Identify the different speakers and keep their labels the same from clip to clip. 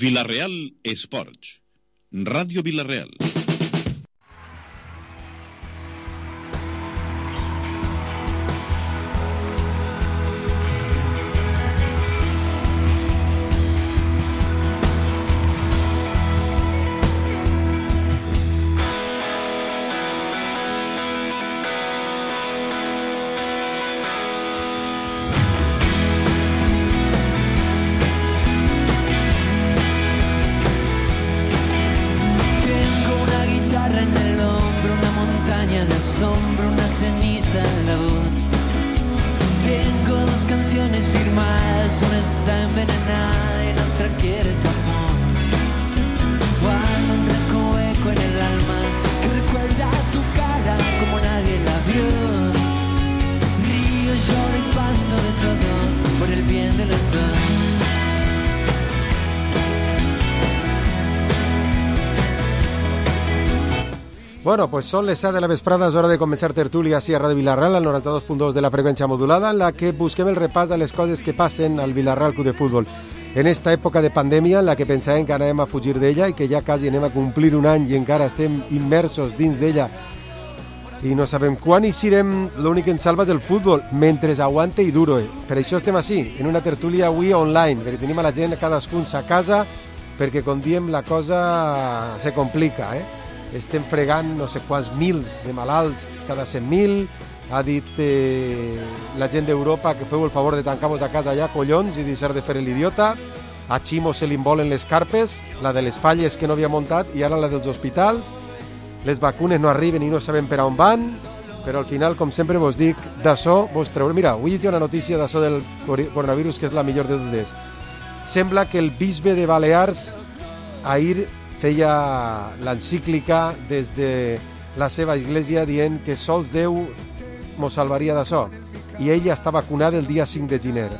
Speaker 1: Vila-real Esports. Ràdio Vila-real.
Speaker 2: Bueno, pues son les 7 de la vesprada, és hora de començar tertúlia així a Ràdio Vila-real, al 92.2 de la freqüència modulada, en la que busquem el repàs de les coses que passen al Vila-real Club de Futbol. En esta època de pandèmia, en la que pensàvem que anàvem a fugir d'ella i que ja quasi anem a complir un any i encara estem immersos dins d'ella i no sabem quan hi serem, l'únic que ens salva és el futbol, mentre aguante i duro. Per això estem així, en una tertúlia avui online, perquè tenim a la gent cadascun a casa, perquè, com diem, la cosa se complica, Estem fregant no sé quants mils de malalts cada 100.000. Ha dit la gent d'Europa que feu el favor de tancar-vos a casa ja, collons, i deixar de fer l'idiota. A Ximo se li embolen les carpes, la de les falles que no havia muntat i ara la dels hospitals. Les vacunes no arriben i no sabem per on van, però al final, com sempre vos dic, d'això vos treuré. Mira, avui hi ha una notícia d'això del coronavirus que és la millor de totes. Sembla que el bisbe de Balears ahir feia l'encíclica des de la seva església dient que sols Déu mos salvaria d'això. I ell està vacunat el dia 5 de gener.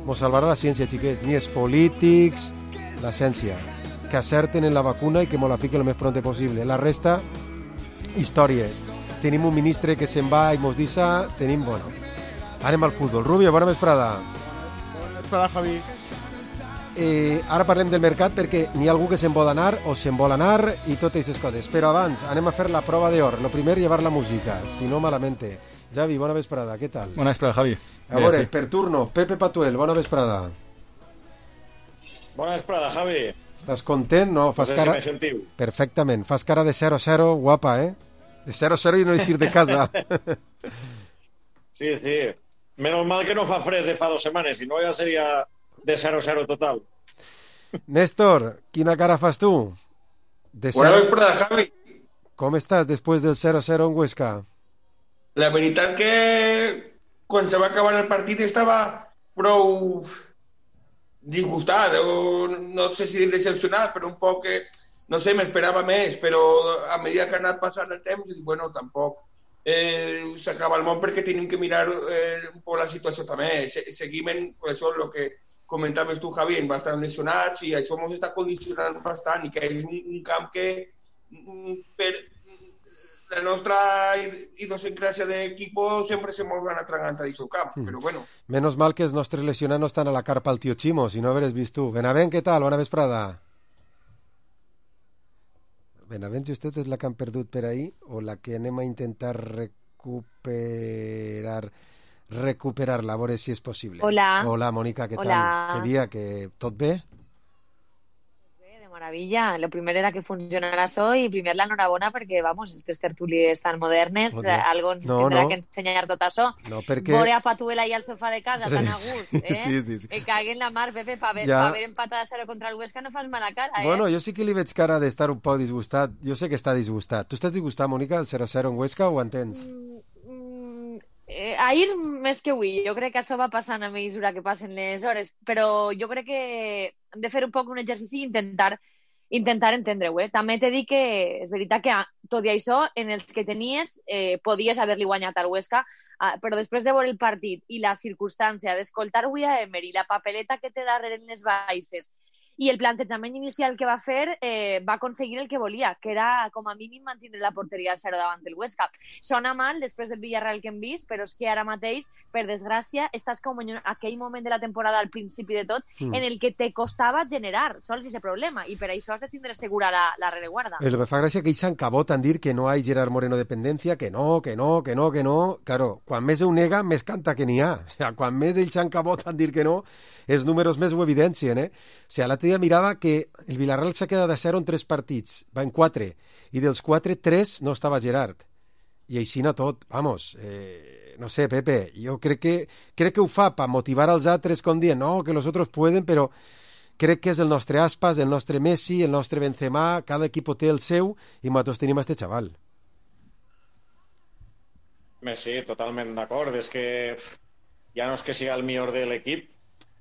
Speaker 2: Mos salvarà la ciència, xiquets. Ni els polítics, la ciència. Que acerten en la vacuna i que mos la fiquen el més pront possible. La resta, històries. Tenim un ministre que se'n va i mos deixa. Tenim, bueno. Anem al futbol. Rubio, bona vesprada.
Speaker 3: Bona vesprada, Javi.
Speaker 2: Ara parlem del mercat perquè n'hi ha algú que se'n vol anar o se'n vol anar i totes aquestes coses, però abans anem a fer la prova d'or. Lo primer, llevar la música, si no malamente. Javi, bona vesprada, què tal?
Speaker 4: Bona vesprada, Javi.
Speaker 2: A veure, sí. Per turno, Pepe Patuel, bona vesprada.
Speaker 3: Bona vesprada, Javi.
Speaker 2: Estàs content, no? Fas
Speaker 3: no sé
Speaker 2: cara...
Speaker 3: si me sentiu.
Speaker 2: Perfectament, fas cara de 0-0, guapa, De 0-0 i no eixir de casa.
Speaker 3: Sí. Menos mal que no fa fred de fa 2 setmanes, si no ja seria de 0-0 total.
Speaker 2: Néstor, quina cara fas tu?
Speaker 5: Bona vesprada, Javi.
Speaker 2: Com estàs després del 0-0 en Huesca?
Speaker 5: La veritat que quan se va acabar el partit estava prou disgustat, o no sé si decepcionat, però un poc que, no sé, m'esperava més, però a mesura que ha anat passant el temps, bueno, tampoc s'acaba el món perquè tenim que mirar un poc la situació també. Seguim en això, el que comentaves tu, Javi, bastant lesionats, i això ens està condicionant bastant, i que és un camp que per la nostra idiosincràsia d'equipo sempre se mos van atragant a aquest camp, però bueno.
Speaker 2: Menos mal que els nostres lesionats no estan a la carpa al tio Ximo, si no haveres vist tu. Benavent, què tal? Bona vesprada. Benavent, justet és la que han perdut per ahir o la que anem a intentar recuperar-la, a veure si és possible. Hola, Mónica, què tal? Què dia, que tot bé?
Speaker 6: Bé, de maravilla. Lo primero era que funcionara això i primer l'enhorabona perquè, vamos, aquestes tertúlies tan modernes, algo ens tindrà que ensenyar tot això.
Speaker 2: No, perquè...
Speaker 6: Veure a Patuel ahí al sofà de casa, tan a gust,
Speaker 2: Sí.
Speaker 6: Me cague en la mar, Pepe, pa haver empatat a 0 contra el Huesca no fas mala cara,
Speaker 2: Bueno, jo sí que li veig cara d'estar un poc disgustat. Jo sé que està disgustat. Tu estàs disgustat, Mónica, el 0-0 en Huesca, o ho entens?
Speaker 6: Ahir més que avui, jo crec que això va passant a mesura que passen les hores, però jo crec que hem de fer un poc un exercici i intentar entendre-ho. També t'he dit que és veritat que tot i això, en els que tenies, podies haver-li guanyat al Huesca, però després de veure el partit i la circumstància d'escoltar avui a Emery, la papeleta que té darrere en les baixes i el plantejament inicial que va fer va aconseguir el que volia, que era com a mínim mantenir la porteria a 0 davant del Huesca. Sona mal després del Villarreal que hem vist, però és que ara mateix, per desgràcia, estàs com en aquell moment de la temporada al principi de tot en el que te costava generar sols aquest problema, i per això has de tindre segura la rereguarda.
Speaker 2: El que me fa gràcia que ells s'encaboten dir que no hi ha Gerard Moreno dependencia, que no. Claro, quan més ho nega, més canta que n'hi ha. O sea, quan més ells s'encaboten dir que no, els números més ho evidencien, O sea, l'altre dia mirava que el Villarreal s'ha quedat a 0 en 3 partits, va en 4, i dels 4, 3 no estava Gerard. I així no tot, vamos, no sé, Pepe, jo crec que ho fa per motivar als altres com dient, no, que los otros pueden, però crec que és el nostre Aspas, el nostre Messi, el nostre Benzema, cada equip té el seu, i nosaltres tenim este xaval.
Speaker 3: Sí, totalment d'acord. És que ja no és que sigui el millor de l'equip,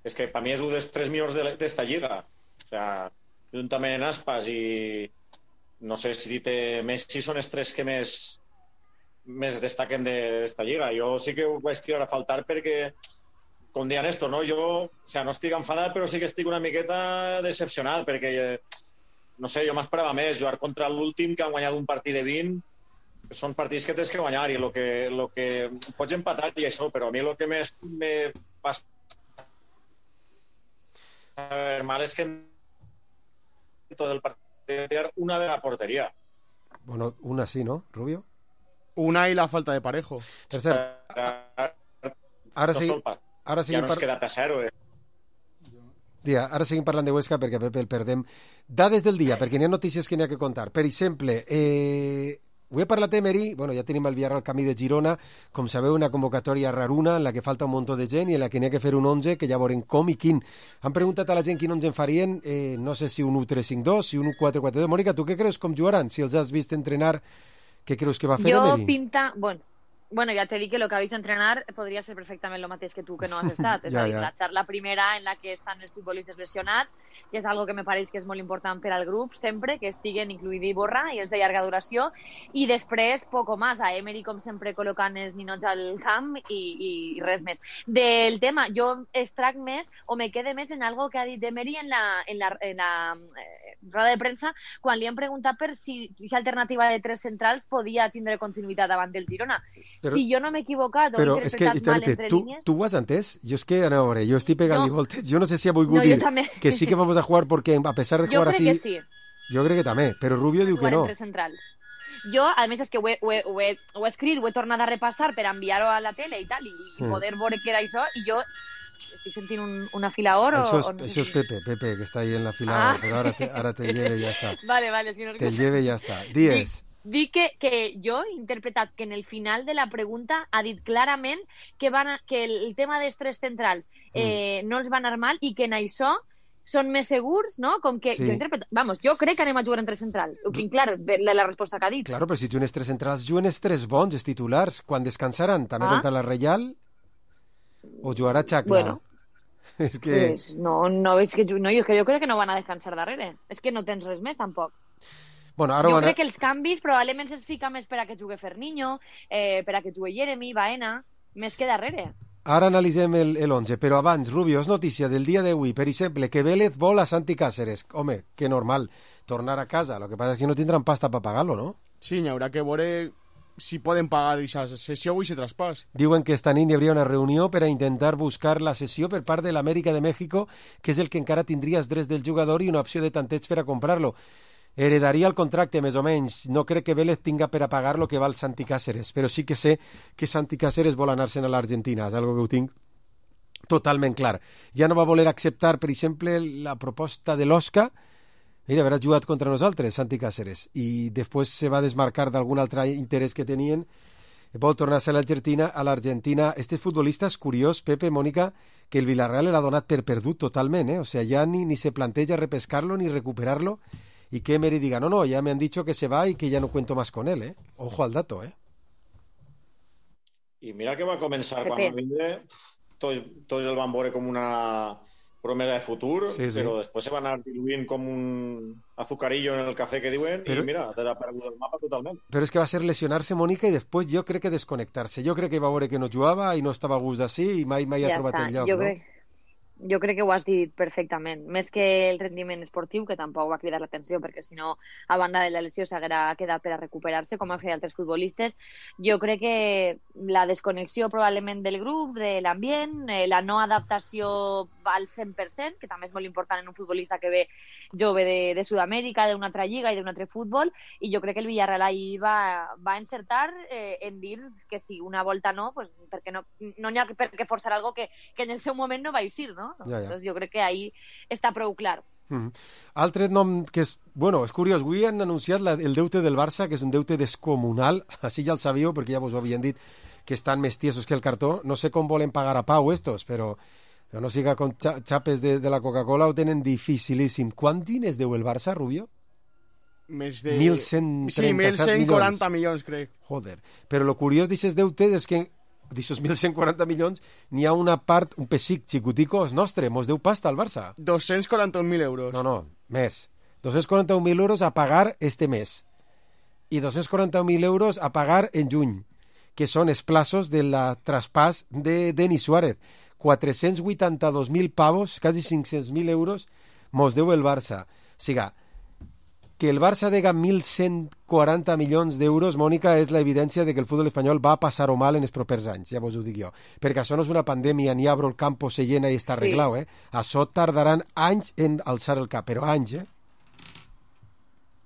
Speaker 3: és que per mi és un dels 3 millors d'esta lliga. O sea, juntament Aspas i no sé si dit Messi són els 3 que més destaquen d'esta lliga. Jo sí que ho vaig tirar a faltar perquè, com deia Néstor, no? Jo no estic enfadat, però sí que estic una miqueta decepcionat perquè, no sé, jo m'esperava més. Jugar contra l'últim, que han guanyat un partit de 20, són partits que tens que guanyar, i el que pots empatar i això, però a mi el que més me passa mal és que tot el partit té una de la porteria.
Speaker 2: Bueno, una sí, ¿no, Rubio?
Speaker 4: Una y la falta de Parejo.
Speaker 2: Per cert, ara sí,
Speaker 3: ja no es queda a 0,
Speaker 2: Dia, ara seguim parlant de Huesca perquè Pepe el perdem. Dades del dia, perquè n'hi ha notícies que n'hi ha que contar. Per exemple, ho he parlat Emery, bueno, ja tenim el Villarreal camí de Girona, com sabeu, una convocatòria raruna en la que falta un munt de gent i en la que n'hi ha que fer un 11, que ja veurem com i quin. Han preguntat a la gent quin 11 en farien, no sé si un 1-3-5-2, si un 1-4-4-2. Mònica, tu què creus com jugaran? Si els has vist entrenar, què creus que va fer Emery?
Speaker 6: Jo pinta... Bueno, ya te di que lo que habéis de entrenar podría ser perfectamente lo mateix que tú, que no has estat. És a dir, la xarxa primera en la que estan els futbolistes lesionats, que és algo que me pareix que és molt important per al grup, sempre, que estiguen incluït Iborra i els de llarga duració, i després, poco más, a Emery, com sempre, col·locant els ninots al camp i res més. Del tema, jo extrac més, o me quede més en algo que ha dit Emery en la roda de premsa, quan li han preguntat per si aquesta alternativa de 3 centrals podia tindre continuïtat davant del Girona. Però, si jo no m'he equivocat o he interpretat mal entre línies...
Speaker 2: Tu ho has entès? Jo és que, a veure, jo estic pegant-li voltes. Jo no sé si ha volgut dir que sí que vamos a jugar porque a pesar de jugar así...
Speaker 6: Jo crec que sí.
Speaker 2: Jo crec que també, però Rubio diu que no.
Speaker 6: Entre centrals. Jo, a més, és que ho he escrit, ho he tornat a repassar per enviar-ho a la tele i tal, i poder veure què era això, i jo estic sentint un afilador
Speaker 2: això és Pepe, que està ahí en l'afilador, però ara te lleve i ja està.
Speaker 6: Vale, és que no...
Speaker 2: Te lleve i ja està. Dies.
Speaker 6: Dic que jo he interpretat que en el final de la pregunta ha dit clarament que el tema dels 3 centrals no els va anar mal i que en això són més segurs, no? Com que jo interpreto... Vamos, jo crec que anem a jugar en 3 centrals. Ho tinc clar, la resposta que ha dit.
Speaker 2: Claro, però si juguen 3 centrals, juguen 3 bons, els titulars. Quan descansaran, també contra la Reial o jugarà Chacla?
Speaker 6: Bueno,
Speaker 2: és que...
Speaker 6: Pues no, és que jo crec que no van a descansar darrere. És que no tens res més, tampoc.
Speaker 2: Bueno, ara
Speaker 6: jo crec que els canvis probablement se'ls fica més per a que jugui Ferniño, per a que jugui Jeremy, Baena, més que darrere.
Speaker 2: Ara analitzem el 11, però abans, Rubio, és notícia del dia d'avui, per exemple, que Vélez vol a Santi Cáceres. Home, que normal, tornar a casa. Lo que pasa es que no tindran pasta para pagarlo, ¿no?
Speaker 4: Sí, n'hi haurà que veure si poden pagar aquesta sessió o aquest traspàs.
Speaker 2: Diuen que esta nit hi hauria una reunió per a intentar buscar la sessió per part de l'Amèrica de México, que és el que encara tindria els drets del jugador i una opció de tanteig per a comprar-lo. Heredaria el contracte, més o menys. No crec que Vélez tinga per a pagar lo que val Santi Cáceres, però sí que sé que Santi Cáceres vol anar-se'n a l'Argentina, és algo que ho tinc totalment clar. Ja no va voler acceptar, per exemple, la proposta de l'Osca. Mira, haurà jugat contra nosaltres, Santi Cáceres, i després se va desmarcar d'algun altre interès que tenien. Vol tornar-se a l'Argentina. Este futbolista és curiós, Pepe, Mònica, que el Villarreal l'ha donat per perdut totalment, O sea, ja ni se planteja repescarlo ni recuperarlo, y que Emery diga, no, ya me han dicho que se va y que ya no cuento más con él, Ojo al dato,
Speaker 3: I mira que va començar quan va vindre, tots el van veure com una promesa de futur, però després se va anar diluint com un azucarillo en el cafè que diuen, i mira, te l'ha perdut el mapa totalment.
Speaker 2: Però és que va ser lesionarse, Mònica, i després jo crec que desconnectar-se. Jo crec que va veure que no jugava i no estava a gust d'ací i mai ha trobat el lloc, no?
Speaker 6: Jo crec que ho has dit perfectament. Més que el rendiment esportiu, que tampoc va cridar l'atenció, perquè si no, a banda de la lesió, s'haguera quedat per a recuperar-se, com han fet altres futbolistes. Jo crec que la desconnexió probablement del grup, de l'ambient, la no adaptació al 100%, que també és molt important en un futbolista que ve jove de Sud-amèrica, d'una altra lliga i d'un altre futbol, i jo crec que el Villarreal ahir va encertar en dir que si una volta no, pues, perquè no n'hi ha per què forçar algo que en el seu moment no va eixir, no?
Speaker 2: Ja.
Speaker 6: Doncs jo crec que ahí està prou clar.
Speaker 2: Altre nom que és curiós, avui han anunciat el deute del Barça, que és un deute descomunal, així ja el sabíeu perquè ja vos ho havien dit, que estan més tiesos que el cartó. No sé com volen pagar a Pau estos, però que no siga con xapes de la Coca-Cola ho tenen dificilíssim. Quants diners deu el Barça, Rubio?
Speaker 4: Més de...
Speaker 2: 1.137
Speaker 4: sí, 1.140 milions, crec.
Speaker 2: Joder, però lo curiós d'aquests deutes és que d'aixòs 1.140 milions n'hi ha una part, un pessic xicutico, és nostre, mos deu pasta al Barça.
Speaker 4: 241.000 euros.
Speaker 2: No, més. 241.000 euros a pagar este mes i 241.000 euros a pagar en juny, que són els plaços de la traspàs de Denis Suárez. 482.000 pavos, quasi 500.000 euros, mos deu el Barça. O sigui, que el Barça dega 1.140 milions d'euros, Mònica, és l'evidència de que el futbol espanyol va passar-ho mal en els propers anys, ja vos ho dic jo. Perquè això no és una pandèmia, ni abro el campo, se llena i està arreglat, Això tardaran anys en alçar el cap, però anys,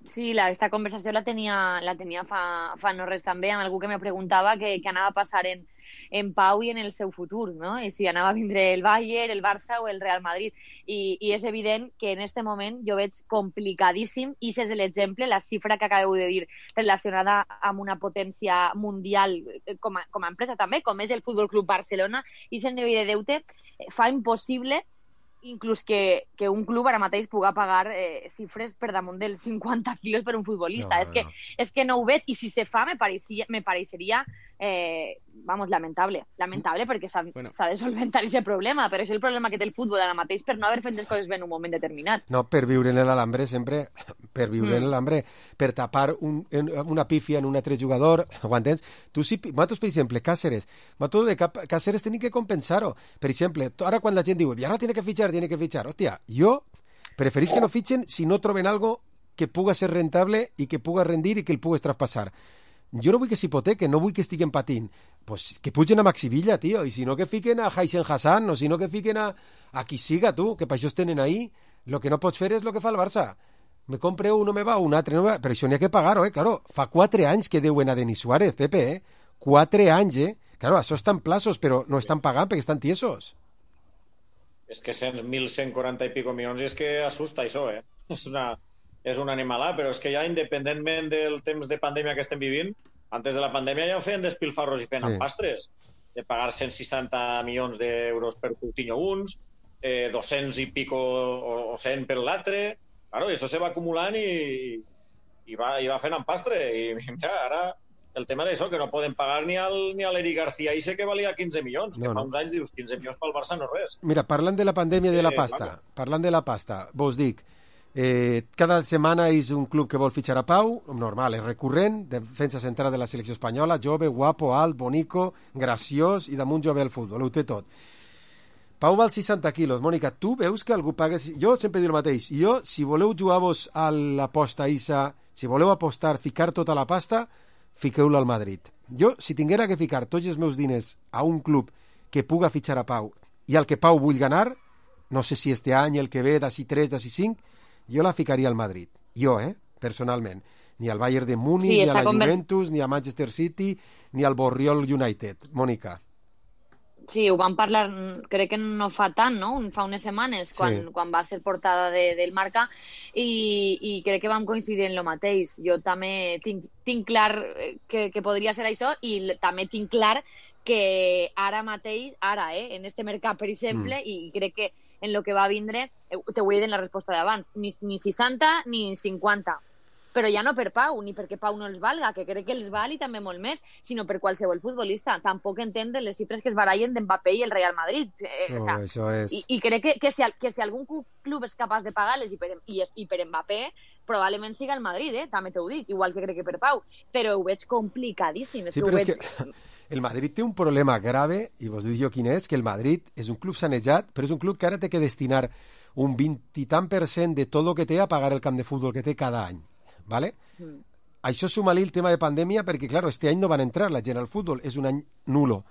Speaker 6: Sí, esta conversació la tenia fa no res també, amb algú que me preguntava què anava a passar en Pau i en el seu futur, no? I si anava a vindre el Bayern, el Barça o el Real Madrid. I és evident que en este moment jo veig complicadíssim, i és l'exemple, la xifra que acabeu de dir, relacionada amb una potència mundial com a empresa també, com és el Futbol Club Barcelona, i aquest nivell de deute fa impossible inclús que un club ara mateix puga pagar xifres per damunt dels 50 quilos per un futbolista. És que no ho veig, i si se fa me pareixeria lamentable, perquè s'ha de solventar aquest problema, però és el problema que té el futbol ara mateix per no haver fet les coses bé en un moment determinat.
Speaker 2: No, per viure en l'alambre sempre, per viure en l'alambre, per tapar una pífia en un altre jugador, ho entens? Nosaltres, per exemple, Cáceres tenim que compensar-ho. Per exemple, ara quan la gent diu, ja no tiene que fichar, hòstia, jo preferís que no fitxen si no troben algo que puga ser rentable i que puga rendir i que el pugues traspassar. Jo no vull que s'hipotequen, no vull que estiguen patint. Pues que pugen a Maxi Villa, tio, i si no que fiquen a Haisen Hassan, o si no que fiquen a qui siga, tu, que per això es tenen ahí. Lo que no pots fer és lo que fa el Barça. Me compre un, no me va, un altre, no me va. Però això n'hi ha que pagar-ho, claro. Fa 4 anys que deuen a Denis Suárez, Pepe, 4 anys, Claro, això estan plaços, però no estan pagant perquè estan tiesos.
Speaker 3: És que 1.140 i pico milions, és que assusta això, És una animalada, però és que ja independentment del temps de pandèmia que estem vivint, antes de la pandèmia ja ho feien despilfarros i feien empastres, de pagar 160 milions d'euros per Coutinho uns, 200 i pico o 100 per l'altre, claro, i això se va acumulant i va fent empastre, i mira, ara el tema d'això, que no poden pagar ni a l'Eric García i sé que valia 15 milions, que fa uns anys dius 15 milions pel Barça no és res.
Speaker 2: Mira, parlant de la pandèmia de la pasta, vos dic, cada setmana és un club que vol fitxar a Pau, normal, és recurrent, defensa central de la selecció espanyola, jove, guapo, alt, bonico, graciós i damunt jove al futbol, ho té tot. Pau val 60 quilos. Mònica, tu veus que algú paga... Jo sempre dic el mateix. Jo, si voleu jugar-vos a l'aposta ISA, si voleu apostar, ficar tota la pasta, fiqueu-la al Madrid. Jo, si tinguera que ficar tots els meus diners a un club que puga fitxar a Pau i al que Pau vull ganar, no sé si este any, el que ve, d'ací 3, d'ací 5, jo la ficaria al Madrid. Jo, personalment. Ni al Bayern de Múnich, ni a la Juventus, ni a Manchester City, ni al Borriol United. Mònica.
Speaker 6: Sí, ho vam parlar, crec que no fa tant, no? Fa unes setmanes, quan va ser portada del Marca, i crec que vam coincidir en lo mateix. Jo també tinc clar que podria ser això, i també tinc clar que ara mateix, en este mercat, per exemple, i crec que en lo que va vindre, te ho he dit en la resposta d'abans, ni 60 ni 50. però ja no per Pau, ni perquè Pau no els valga, que crec que els val i també molt més, sinó per qualsevol futbolista. Tampoc entenc les xifres que es barallen d'Mbappé i el Real Madrid.
Speaker 2: No, això és...
Speaker 6: I crec que si algun club és capaç de pagar-les i per Mbappé, probablement siga el Madrid, també t'ho dic, igual que crec que per Pau, però ho veig complicadíssim.
Speaker 2: Sí, però és que el Madrid té un problema grave, i vos dic jo quin és, que el Madrid és un club sanejat, però és un club que ara té que destinar un 20 i tant % de tot el que té a pagar el camp de futbol que té cada any, ¿vale? Això suma-li el tema de pandèmia, perquè, claro, este any no van entrar la gent al futbol, és un any nulo.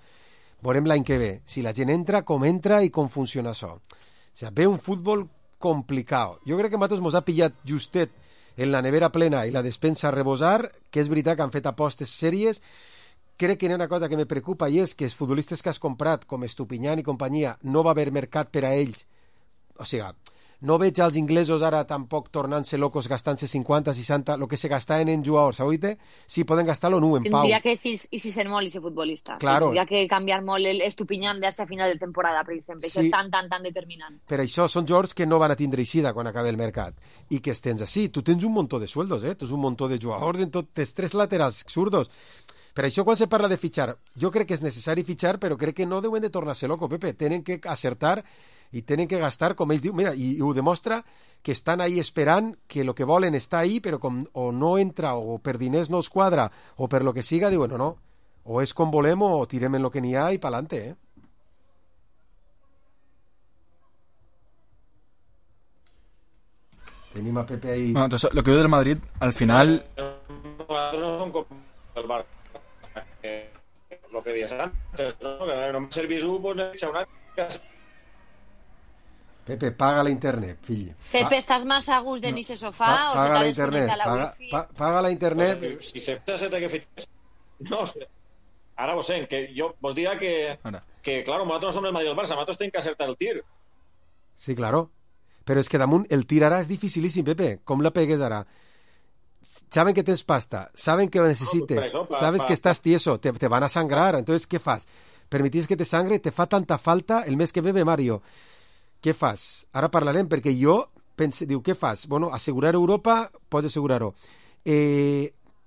Speaker 2: Veurem l'any que ve, si la gent entra, com entra i com funciona això. O sigui, ve un futbol complicat. Jo crec que a nosaltres mos ha pillat justet en la nevera plena i la despensa a rebosar, que és veritat que han fet apostes sèries. Crec que hi ha una cosa que me preocupa i és que els futbolistes que has comprat, com Estupiñán i companyia, no va haver mercat per a ells. O sigui, no veig als inglesos ara tampoc tornant-se locos gastant-se 50, 60, el que se gastaven en jugadors, ¿oíste? Sí, poden gastar-lo nu, en Pau.
Speaker 6: Tindria que ser molt ese futbolista.
Speaker 2: Claro.
Speaker 6: Tindria que canviar molt l'Estupiñán d'hace a final de temporada, per exemple.
Speaker 2: Sí.
Speaker 6: Això és tan determinant.
Speaker 2: Per això són jugadors que no van a tindre eixida quan acabi el mercat. I que tens així. Tu tens un muntó de sueldos, tens un muntó de jugadors en tot, tens 3 laterals zurdos. Per això quan se parla de fitxar, jo crec que és necessari fitxar, però crec que no deuen de tornar-se loco, Pepe. Tenen que acertar i tenen que gastar, com ells diuen, mira, i ho demostra que estan ahí esperant que el que volen està ahí, però com o no entra, o per diners no els quadra, o per lo que siga, diuen, no, o és com volem o tirem en lo que n'hi ha i pa'lante, Tenim a Pepe ahí...
Speaker 7: Bueno, entonces, lo que veo del Madrid, al final...
Speaker 3: Nosaltres no som com el Barça. Lo que dies antes, no? Que només el visu, pues, n'he una...
Speaker 2: Pepe, paga la internet, fill.
Speaker 6: Pepe, estàs massa a gust de ni ese sofà o se t'ha desconnectat la wifi?
Speaker 2: Paga la internet.
Speaker 3: Pues, si se té que fitxar... No, ara vos sé, que jo vos diria que claro, nosaltres no som el Madrid del Barça, nosaltres tenim que acertar el tir.
Speaker 2: Sí, claro. Però és que damunt el tir ara és dificilíssim, Pepe. Com la pegues ara? Saben que tens pasta, saben que necessites, sabes que estàs tieso, te van a sangrar. Entonces, ¿qué fas? Permitís que te sangre, te fa tanta falta el mes que ve Mario. Què fas? Ara parlarem, perquè jo diu, què fas? Bueno, assegurar Europa, pots assegurar-ho.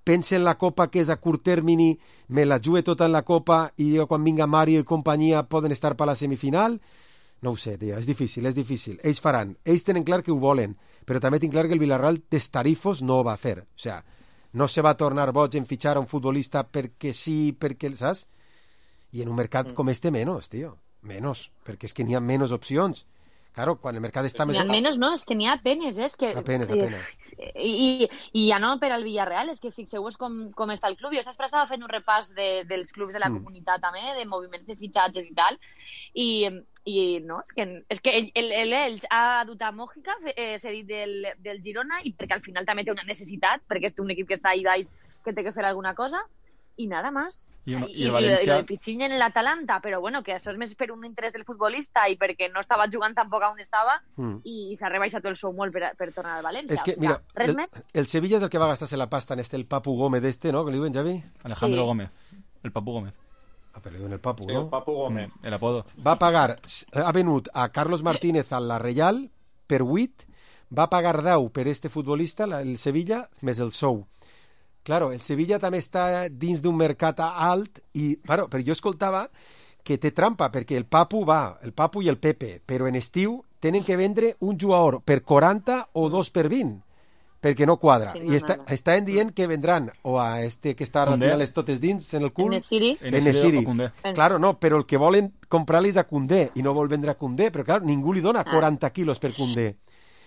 Speaker 2: Pensa en la Copa, que és a curt termini, me la jugue tota en la Copa i quan vinga Mario i companyia poden estar per la semifinal? No ho sé, tio, és difícil. Ells faran. Ells tenen clar que ho volen, però també tinc clar que el Villarreal destarifos no ho va fer. O sea, no se va tornar boig en fitxar a un futbolista perquè sí, perquè, saps? I en un mercat com este menos, tio. Menos, perquè és que n'hi ha menys opcions. Claro, quan el mercat està més...
Speaker 6: Almenys no, és que n'hi ha apenes, és que...
Speaker 2: Apenes.
Speaker 6: I ja no per al Villarreal, és que fixeu-vos com està el club. Jo estava estava fent un repàs dels clubs de la comunitat també, de moviments de fitxatges i tal, i no, és que ell ha dut a Mójica, cedit del Girona, i perquè al final també té una necessitat, perquè és un equip que està ahí baix que té que fer alguna cosa, i nada más.
Speaker 7: I el València...
Speaker 6: el Pichiño en l'Atalanta, però bueno, que això és més per un interès del futbolista i perquè no estava jugant tampoc on estava i s'ha rebaixat el sou molt per tornar al València.
Speaker 2: És que, mira, el Sevilla és el que va gastar-se la pasta en el Papu Gómez ¿no? Que li diuen, Javi?
Speaker 7: Alejandro Gómez, el Papu Gómez.
Speaker 2: Ah, però li diuen el Papu,
Speaker 3: sí,
Speaker 2: no?
Speaker 3: El Papu Gómez.
Speaker 7: El apodo.
Speaker 2: Va pagar, ha venut a Carlos Martínez a la Reial per 8, va pagar 10 per este futbolista, el Sevilla, més el sou. Claro, el Sevilla també està dins d'un mercat alt i, claro, però jo escoltava que té trampa, perquè el Papu i el Pepe, però en estiu tenen que vendre un jugador per 40 o 2 per 20, perquè no quadra. Sí, no, I estan dient que vendran o a este que està retirant les totes dins en el cul,
Speaker 6: Enesiri.
Speaker 2: Claro, no, però el que volen comprar-li és a Koundé i no vol vendre a Koundé, però claro, ningú li dona 40 quilos per Koundé.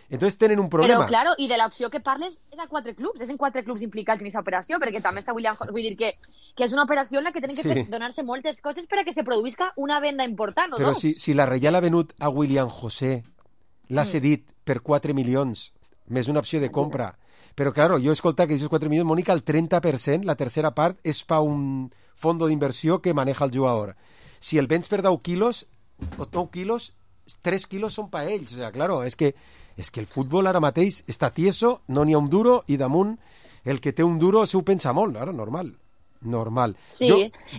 Speaker 2: Entonces tenen un problema.
Speaker 6: Però, claro, i de l'opció que parles és a 4 clubs, és en 4 clubs implicats en aquesta operació, perquè també està William... Vull dir que és una operació en la que tenen que donar-se moltes coses per a que se produïsca una venda important, o
Speaker 2: però
Speaker 6: dos.
Speaker 2: Però si la Reial ha venut a William José, l'ha cedit per 4 milions, més una opció de compra. Però, claro, jo he escoltat que d'aquests 4 milions, Mònica, el 30%, la tercera part, és per un fons d'inversió que maneja el jugador. Si el vens per 10 quilos, o 9 quilos, 3 quilos són per ells. O sea, claro, és que el futbol ara mateix està tieso, no n'hi ha un duro, i damunt el que té un duro s'ho pensa molt, ara, normal.
Speaker 6: Sí,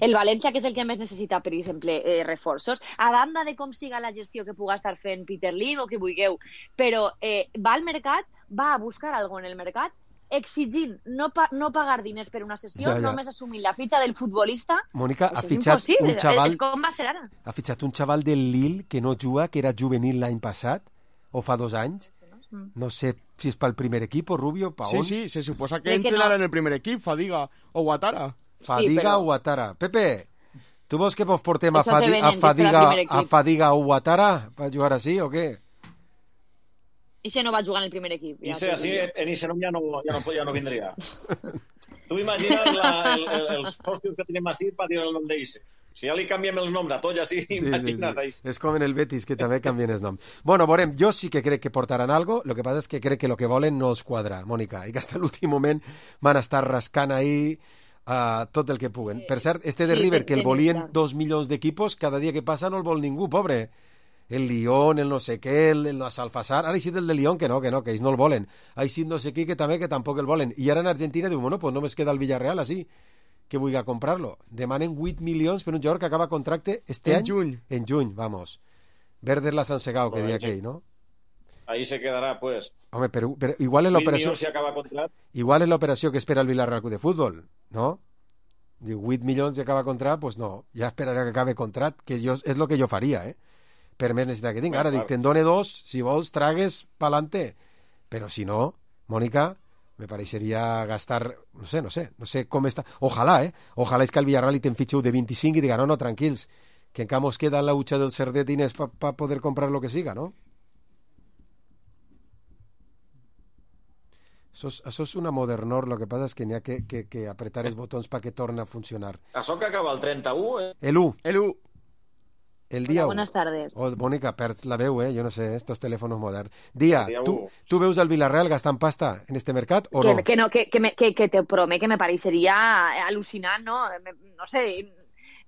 Speaker 6: el València, que és el que més necessita, per exemple, reforços, a banda de com siga la gestió que puga estar fent Peter Lim o que vulgueu, però va al mercat, va a buscar algo en el mercat exigint no pagar diners per una sessió,
Speaker 2: Ja.
Speaker 6: només assumint la fitxa del futbolista.
Speaker 2: Mónica, ha
Speaker 6: Això és
Speaker 2: fitxat
Speaker 6: impossible.
Speaker 2: un xaval...
Speaker 6: És com va ser ara.
Speaker 2: Ha fitxat un xaval del Lille que no juga, que era juvenil l'any passat, o fa 2 anys. No sé si és pel primer equip o Rubio, pa on.
Speaker 4: Sí, se suposa que
Speaker 6: Crec que
Speaker 4: entrenarà
Speaker 6: no.
Speaker 4: en el primer equip, Fadiga o Ouattara.
Speaker 2: Fadiga
Speaker 6: però-
Speaker 2: o Ouattara. Pepe, tu vols que vos portem a,
Speaker 6: Això té venent, que serà primer equip.
Speaker 2: a Fadiga o Ouattara per jugar així o què?
Speaker 6: I si no va jugar en el primer equip.
Speaker 3: I si així, en Isenom ja no vindria. Tu imagines els hòstils que tenim així per dir el nom d'Ise. Si ja li canviem els noms a tots així, imagina't això.
Speaker 2: És com en el Betis, que també canvien els noms. Bueno, veurem, jo sí que crec que portaran algo, lo que passa és que crec que lo que volen no els quadra, Mònica, i que hasta l'últim moment van estar rascant ahí tot el que puguen. Per cert, de River, que el volien 2 milions d'equipos, cada dia que passa no el vol ningú, pobre. El Lyon, el no sé què, el Salfasar, ara hi sí del de Lyon que ells no el volen. Hi sí no sé qui que també que tampoc el volen. I ara en Argentina diu, bueno, pues només queda el Villarreal així, que vulgui comprar-lo. Demanen 8 milions per un jugador que acaba contracte este any. En juny, vamos. Verdes la San Segao, que
Speaker 3: Bueno,
Speaker 2: dia aquell, ¿no?
Speaker 3: Ahí se quedarà, pues.
Speaker 2: Home, però igual en l'operació...
Speaker 3: Si acaba contract.
Speaker 2: Igual en l'operació que espera el Villarreal Club de Futbol, no? Diu, 8 milions i acaba contract, pues no, ja esperaré que acabe contract, que és el que jo faria, per més necessitat que tinc. Ara dic, te'n done 2, si vols, tragues pa'lante. Però si no, Mònica, me pareixeria gastar, no sé com està. Ojalà és que el Villarreal li te'n fitxeu de 25 i diga, no, tranquils, que encara mos queda en la hucha del Cerdet diners para poder comprar lo que siga, ¿no? Això és una modernor, lo que passa és que n'hi ha que apretar els botons perquè torni a funcionar.
Speaker 3: Això que acaba el 31,
Speaker 2: El 1. El dia 1.
Speaker 6: Buenas tardes.
Speaker 2: Oh, Mónica, perds la veu, jo no sé, estos teléfonos moderns. Dia,
Speaker 3: El dia
Speaker 2: tu veus el Villarreal gastant pasta en este mercat o no?
Speaker 6: Que te promet que me pareixeria al·lucinant, no? No sé,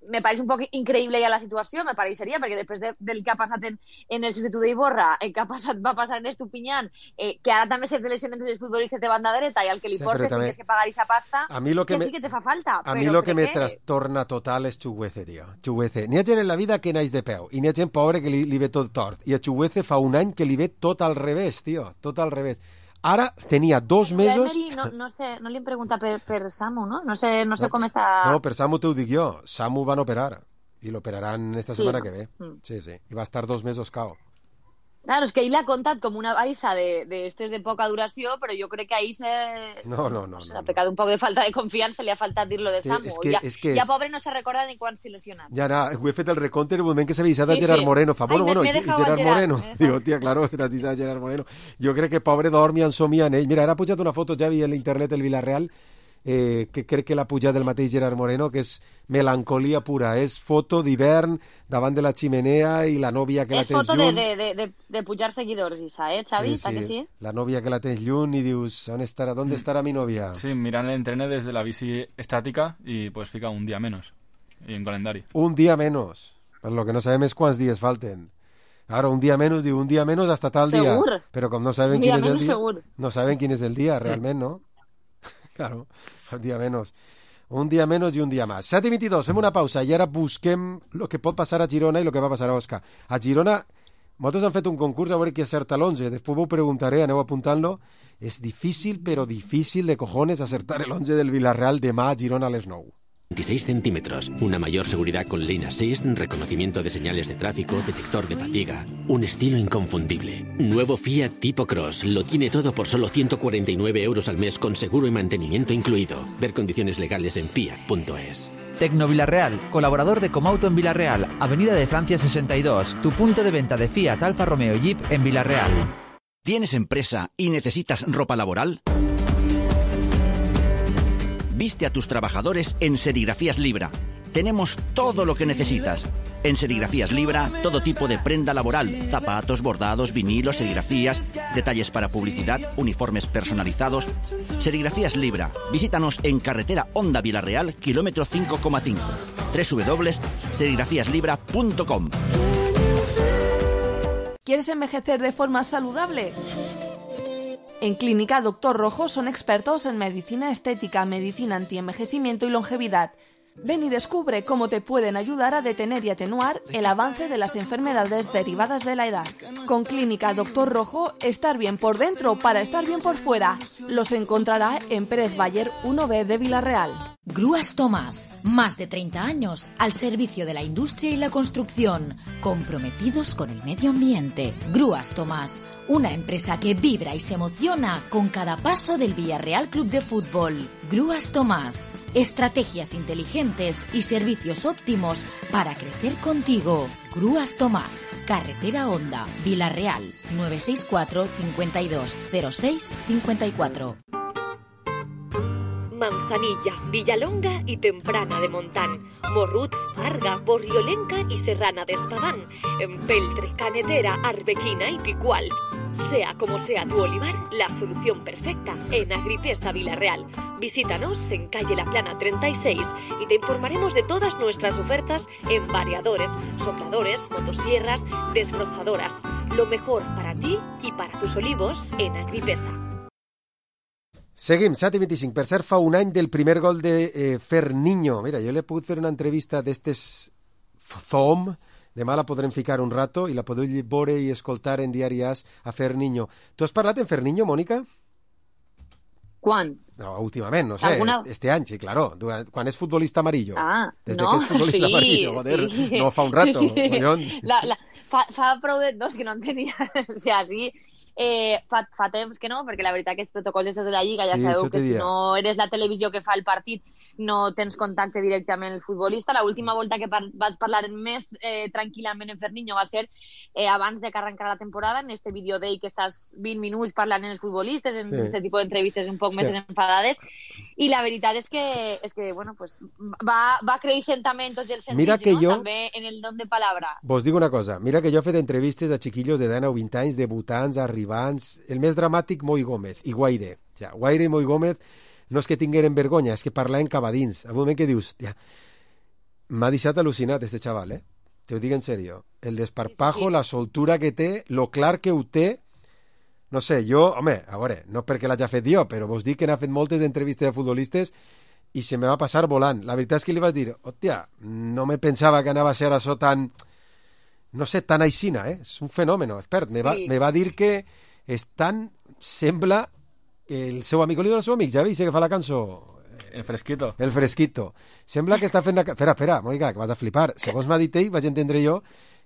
Speaker 6: me pareix un poc increïble ja la situació, me pareixeria, perquè després del que ha passat en el substitut d'Iborra, el que va passar en Estupiñán, que ara també se lesionen els futbolistes de banda dreta i al que li portes tens que pagar aquesta pasta, que sí que te fa falta.
Speaker 2: A mi lo que me trastorna total és Chuguece, tio. Chuguece. N'hi ha gent en la vida que naix de peu, i n'hi ha gent pobre que li ve tot tort, i a Chuguece fa un any que li ve tot al revés, tio, tot al revés. Ara tenia 2 mesos...
Speaker 6: No sé, no li hem preguntat per Samu, no? No sé com està...
Speaker 2: No, per Samu t'ho dic jo. Samu van operar. I l'operaran esta setmana que ve. Sí. I va estar 2 mesos cao.
Speaker 6: Claro, és que ell l'ha contat com una baixa de poca duració, però jo crec que ahí ha pecat un poc de falta de confiança, li ha faltat dir-lo de Samu. Ja pobre no se recorda ni quan s'ha lesionat.
Speaker 2: Ja, ho he fet el recompte en el moment que s'ha avisat a Gerard Moreno. Fa, bueno, i Gerard Moreno. Digo, tia, claro, t'has avisat a Gerard Moreno. Jo crec que pobre dorm i ensomia en ell. Mira, ara ha pujat una foto, ja vi en l'internet el Villarreal, que crec que l'ha pujat del mateix Gerard Moreno, que és melancolia pura. És foto d'hivern davant de la ximenea i la nòvia que la tens lluny.
Speaker 6: És foto de pujar seguidors, Isa, Xavi?
Speaker 2: Sí. Que sí? La nòvia que la tens lluny i dius, ¿dónde estará mi novia?
Speaker 7: Sí, miran el entreno desde la bici estática y pues fica un día menos y en calendario.
Speaker 2: Un día menos. Pues lo que no sabem és quants dies falten. Ara, un dia menys, diu un dia menys hasta tal dia.
Speaker 6: Segur.
Speaker 2: Però com no saben quin és el dia...
Speaker 6: Segur.
Speaker 2: No saben quin és el dia, realment, no? Claro, un dia menys. Un dia menys i un dia més. 7:22, fem una pausa i ara busquem el que pot passar a Girona i el que va passar a Osca. A Girona, nosaltres hem fet un concurs a veure qui acerta l'11. Després ho preguntaré, aneu apuntant-lo. És difícil, però difícil de cojones acertar el 11 del Villarreal demà a Girona a les 9.
Speaker 8: 26 centímetros, una mayor seguridad con Lane Assist, reconocimiento de señales de tráfico, detector de fatiga, un estilo inconfundible. Nuevo Fiat Tipo Cross, lo tiene todo por solo 149 euros al mes con seguro y mantenimiento incluido. Ver condiciones legales en fiat.es.
Speaker 9: Tecno Villarreal, colaborador de Comauto en Villarreal, Avenida de Francia 62, tu punto de venta de Fiat, Alfa Romeo y Jeep en Villarreal.
Speaker 10: ¿Tienes empresa y necesitas ropa laboral? Viste a tus trabajadores en Serigrafías Libra. Tenemos todo lo que necesitas. En Serigrafías Libra, todo tipo de prenda laboral, zapatos, bordados, vinilos, serigrafías, detalles para publicidad, uniformes personalizados. Serigrafías Libra. Visítanos en carretera Honda Villarreal, kilómetro 5,5. www.serigrafíaslibra.com.
Speaker 11: ¿Quieres envejecer de forma saludable? En Clínica Dr. Rojo son expertos en medicina estética, medicina antienvejecimiento y longevidad. Ven y descubre cómo te pueden ayudar a detener y atenuar el avance de las enfermedades derivadas de la edad. Con Clínica Doctor Rojo, estar bien por dentro para estar bien por fuera. Los encontrará en Pérez Bayer 1B de Villarreal.
Speaker 12: Grúas Tomás, más de 30 años al servicio de la industria y la construcción, comprometidos con el medio ambiente. Grúas Tomás, una empresa que vibra y se emociona con cada paso del Villarreal Club de Fútbol. Grúas Tomás, estrategias inteligentes y servicios óptimos para crecer contigo. Grúas Tomás, Carretera Honda, Villarreal, 964 52 06 54.
Speaker 13: Manzanilla, Villalonga y Temprana de Montán, Morrut, Farga, Borriolenca y Serrana de Espadán, Empeltre, Canetera, Arbequina y Picual. Sea como sea tu olivar, la solución perfecta en Agripesa Villarreal. Visítanos en calle La Plana 36 y te informaremos de todas nuestras ofertas en variadores, sopladores, motosierras, desbrozadoras. Lo mejor para ti y para tus olivos en Agripesa.
Speaker 2: Seguim, 7:25. Per cert, fa un any del primer gol de Ferniño. Mira, jo l'he pogut fer una entrevista d'estes Zoom. Demà la podrem ficar un rato i la podeu veure i escoltar en Diari As a Ferniño. Tu has parlat en Ferniño, Mònica?
Speaker 6: Quan?
Speaker 2: No, últimament, no sé.
Speaker 6: Alguna...
Speaker 2: Este any, sí, claro. Quan és futbolista amarillo.
Speaker 6: Ah,
Speaker 2: Desde
Speaker 6: no,
Speaker 2: que és futbolista amarillo, joder. Sí. No, fa un rato, collons.
Speaker 6: Fa prou de dos que no en tenia. O sea, sí... fa temps que no, perquè la veritat que els protocols de la Lliga ja sabeu que si no eres la televisió que fa el partit no tens contacte directament amb el futbolista. L'última volta que vaig parlar més tranquil·lament en Ferniño va ser abans de que arrencara la temporada, en este vídeo d'ell que estàs 20 minuts parlant amb els futbolistes, en este tipus d'entrevistes un poc més enfadades, i la veritat és que bueno, pues, va creixent també en tots els sentits, no? També en el don de palabra.
Speaker 2: Vos dic una cosa, mira que jo he fet entrevistes a xiquillos de 19 o 20 anys, debutants, arribants, el més dramàtic Moi Gómez i Guaire. O sigui, Guaire i Moi Gómez no és que tingueren vergonya, és que parlaven cabadins. A un moment que dius, m'ha deixat al·lucinat este xaval, te ho dic en sèrio. El desparpajo, sí. La soltura que té, lo clar que ho té, no sé, jo, home, a veure, no perquè l'haig fet jo, però vos dic que n'ha fet moltes entrevistes de futbolistes i se me va passar volant. La veritat és que li vaig dir, hòstia, no me pensava que anava a ser això tan, no sé, tan aixina, és un fenomen, expert. Me va dir que és tan, sembla, el seu amic, el seu amic, Javi, que fa la cançó...
Speaker 7: El Fresquito.
Speaker 2: El Fresquito. Sembla que està fent... Espera, Mònica, que vas a flipar. Segons m'ha dit ell, vaig entendre jo,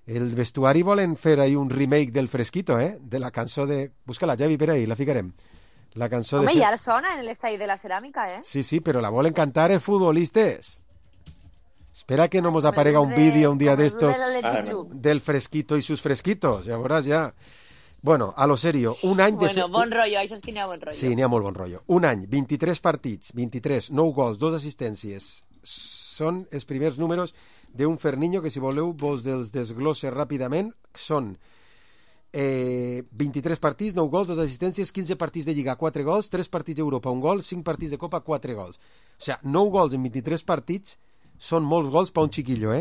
Speaker 2: el vestuari volen fer ahí un remake del Fresquito, de la cançó de... Busca-la, Javi, per ahí, la ficarem. La cançó
Speaker 6: Home,
Speaker 2: de...
Speaker 6: ja sona en l'estadi de la ceràmica,
Speaker 2: Sí, però la volen cantar els futbolistes. Espera que no nos aparega un vídeo un día de estos del Fresquito y sus fresquitos, ja veuràs, ja. Bueno, a lo serio, un any...
Speaker 6: Bueno, bon rotllo, això és que n'hi ha bon rotllo.
Speaker 2: Sí, n'hi ha molt bon rotllo. Un any, 23 partits, 23, 9 gols, 2 assistències. Són els primers números d'un Ferniño que, si voleu, vos els desglosse ràpidament. Són 23 partits, 9 gols, 2 assistències, 15 partits de Lliga, 4 gols, 3 partits d'Europa, 1 gol, 5 partits de Copa, 4 gols. O sigui, 9 gols en 23 partits són molts gols per un xiquillo,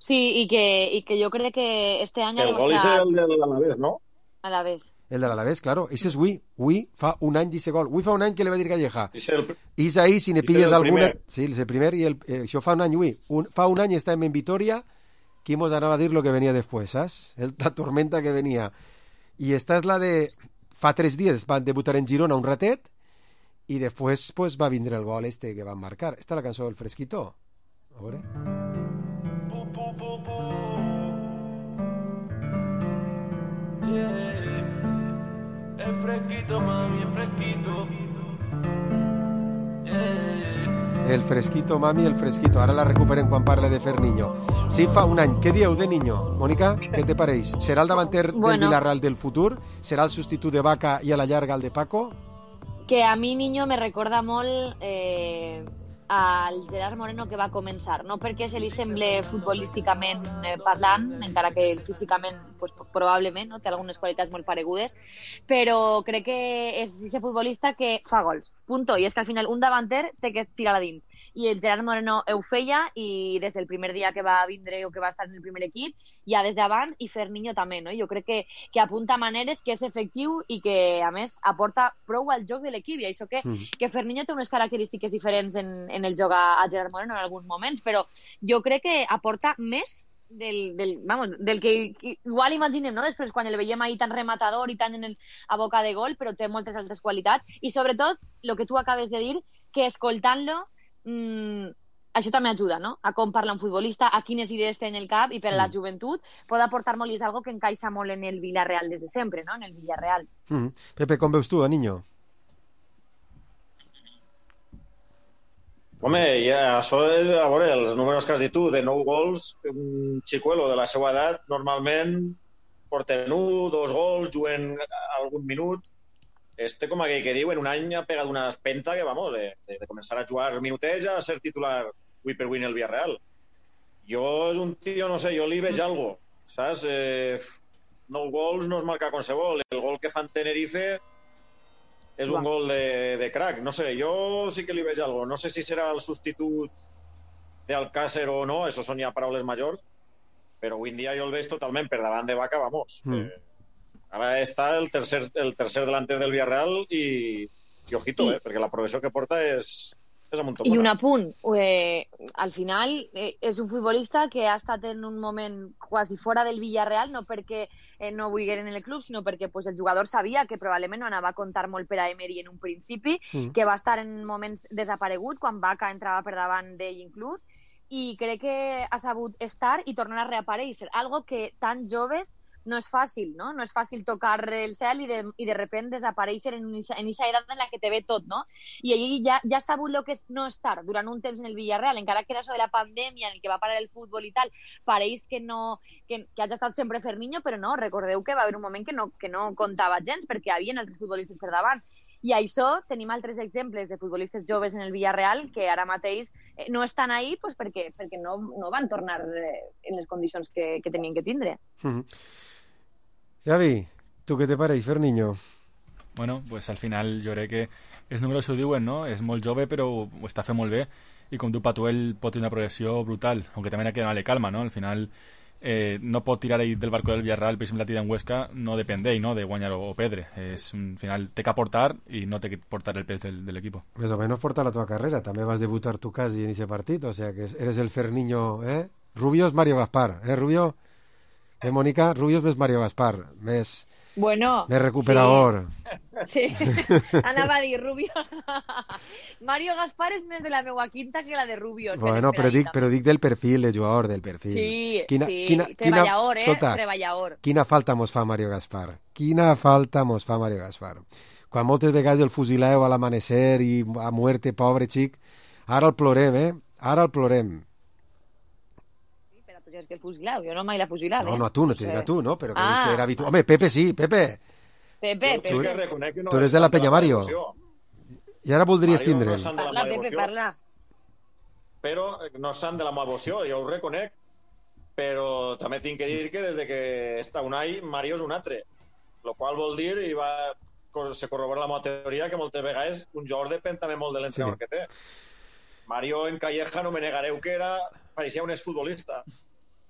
Speaker 6: Sí, i que jo crec que este any...
Speaker 3: El gol és el de l'Alavés, no?
Speaker 6: Alavés.
Speaker 2: El de l'Alavés, claro. Ese és Ui. Ui fa un any d'ese gol. Ui fa un any que le va dir Calleja. És ahí, si ne pilles alguna... Sí, és el primer, i això fa un any, Ui. Fa un any estàvem en Vitoria, que mos anava a dir lo que venia després, saps? La tormenta que venia. I esta és la de... Fa 3 dies van debutar en Girona un ratet, i després pues, va vindre el gol este que van marcar. Esta és la cançó del Fresquito. A veure...
Speaker 14: El fresquito, mami, el fresquito.
Speaker 2: El Fresquito, mami, el Fresquito. Ara la recuperen quan parla de Ferniño. Sí, fa un any. Què dieu de Niño? Mònica, què te pareix? Serà el davanter del Villarreal del futur? Serà el substitut de Vaca i a la llarga el de Paco?
Speaker 6: Que a mi Niño me recorda molt al Gerard Moreno que va començar, no perquè se li semble futbolísticament parlant, encara que físicament pues, probablement no? Té algunes qualitats molt paregudes, però crec que és aquest futbolista que fa gols, punto, i és que al final un davanter té que tirar a dins, i el Gerard Moreno ho feia, i des del primer dia que va vindre o que va estar en el primer equip, ja des d'abans, i Ferninho també, no? Jo crec que apunta maneres, que és efectiu i que, a més, aporta prou al joc de l'equip, i això que Ferninho té unes característiques diferents en el joc a Gerard Moreno en alguns moments, però jo crec que aporta més del que igual imaginem, no? Després quan el veiem ahir tan rematador i tan a boca de gol, però té moltes altres qualitats, i sobretot el que tu acabes de dir, que escoltant-lo això també ajuda, no? A com parla un futbolista, a quines idees té en el cap, i per a la joventut pot aportar molt, i és algo que encaixa molt en el Villarreal des de sempre, no? En el Villarreal.
Speaker 2: Pepe, com veus tu, a Niño?
Speaker 3: Home, ja, això és, a veure, els números que has dit tu, de 9 gols, un xicuelo de la seva edat, normalment porten 1, 2 gols, juguen algun minut. Com aquell que diu, en un any ha pegat una espenta que, vamos, de començar a jugar minuteja a ser titular avui per avui en el Villarreal. Jo és un tio, no sé, jo li veig algo, saps? 9 gols no es marca qualsevol. El gol que fa en Tenerife és un gol de crack. No sé, jo sí que li veig algo. No sé si serà el substitut d'Alcácer o no, això són ja paraules majors, però avui en dia jo el veig totalment per davant de Vaca, vamos. Ara està el tercer delanter del Villarreal i ojito, perquè la progressió que porta és amunt tot.
Speaker 6: I un apunt, al final és un futbolista que ha estat en un moment quasi fora del Villarreal, no perquè no volgueren en el club, sinó perquè el jugador sabia que probablement no anava a comptar molt per a Emery en un principi, que va estar en moments desaparegut, quan Vaca entrava per davant d'ell inclús, i crec que ha sabut estar i tornar a reaparèixer, algo que tan joves no és fàcil, no? No és fàcil tocar el cel i de repent desaparèixer en aquesta edat en la que te ve tot, no? I ell ja ha sabut el que és no estar durant un temps en el Villarreal, encara que era això de la pandèmia en el que va parar el futbol i tal, pareix que hagi estat sempre Ferninho, però no, recordeu que va haver un moment que no comptava gens perquè hi havia altres futbolistes per davant. I això tenim altres exemples de futbolistes joves en el Villarreal que ara mateix no estan ahí perquè no van tornar en les condicions que tenien que tindre.
Speaker 2: Xavi, ¿tú qué te pareix, Ferninho?
Speaker 7: Bueno, pues al final jo crec que els números ho diuen, no? És molt jove però ho està fent molt bé, i com diu Patuel pot tenir una progressió brutal, aunque també ha que donar-li calma, no? Al final no pot tirar ahí del barco del Villarreal, per exemple la tira en Huesca no depèn d'ell, no? De guanyar o perdre. Al final té que aportar i no té que portar el pes del equipo.
Speaker 2: Més o menys porta la tua carrera, també vas debutar tu quasi en ese partit, o sea que eres el Ferninho, Rubio és Mario Gaspar, Rubio? Mónica, Rubio és més Mario Gaspar, més recuperador.
Speaker 6: Sí, anava a dir Rubio. Mario Gaspar és més de la meua quinta que la de Rubio.
Speaker 2: Bueno, però dic del perfil, de jugador, del perfil.
Speaker 6: Sí, treballador,
Speaker 2: escolta,
Speaker 6: treballador.
Speaker 2: Quina falta mos fa Mario Gaspar. Quina falta mos fa Mario Gaspar. Quan moltes vegades el fusileu a l'amanecer i a muerte, pobre xic, ara el plorem, Ara el plorem.
Speaker 6: És que el fusileu, jo no mai l'he fusilat.
Speaker 2: No, tu, no te dic a tu, no? Però que era habitual. Home, Pepe sí, Pepe. Tu eres de la Peña Mario. I ara voldries tindre'l.
Speaker 6: Parla, Pepe, parla.
Speaker 3: Però no sant de la meva emoció, jo ho reconec. Però també tinc que dir que des que està Unai, Mario és un altre. Lo qual vol dir, i se corrobora la meva teoria, que moltes vegades un jugador depèn també molt de l'entrenador que té. Mario en Calleja no me negareu que pareixia un exfutbolista.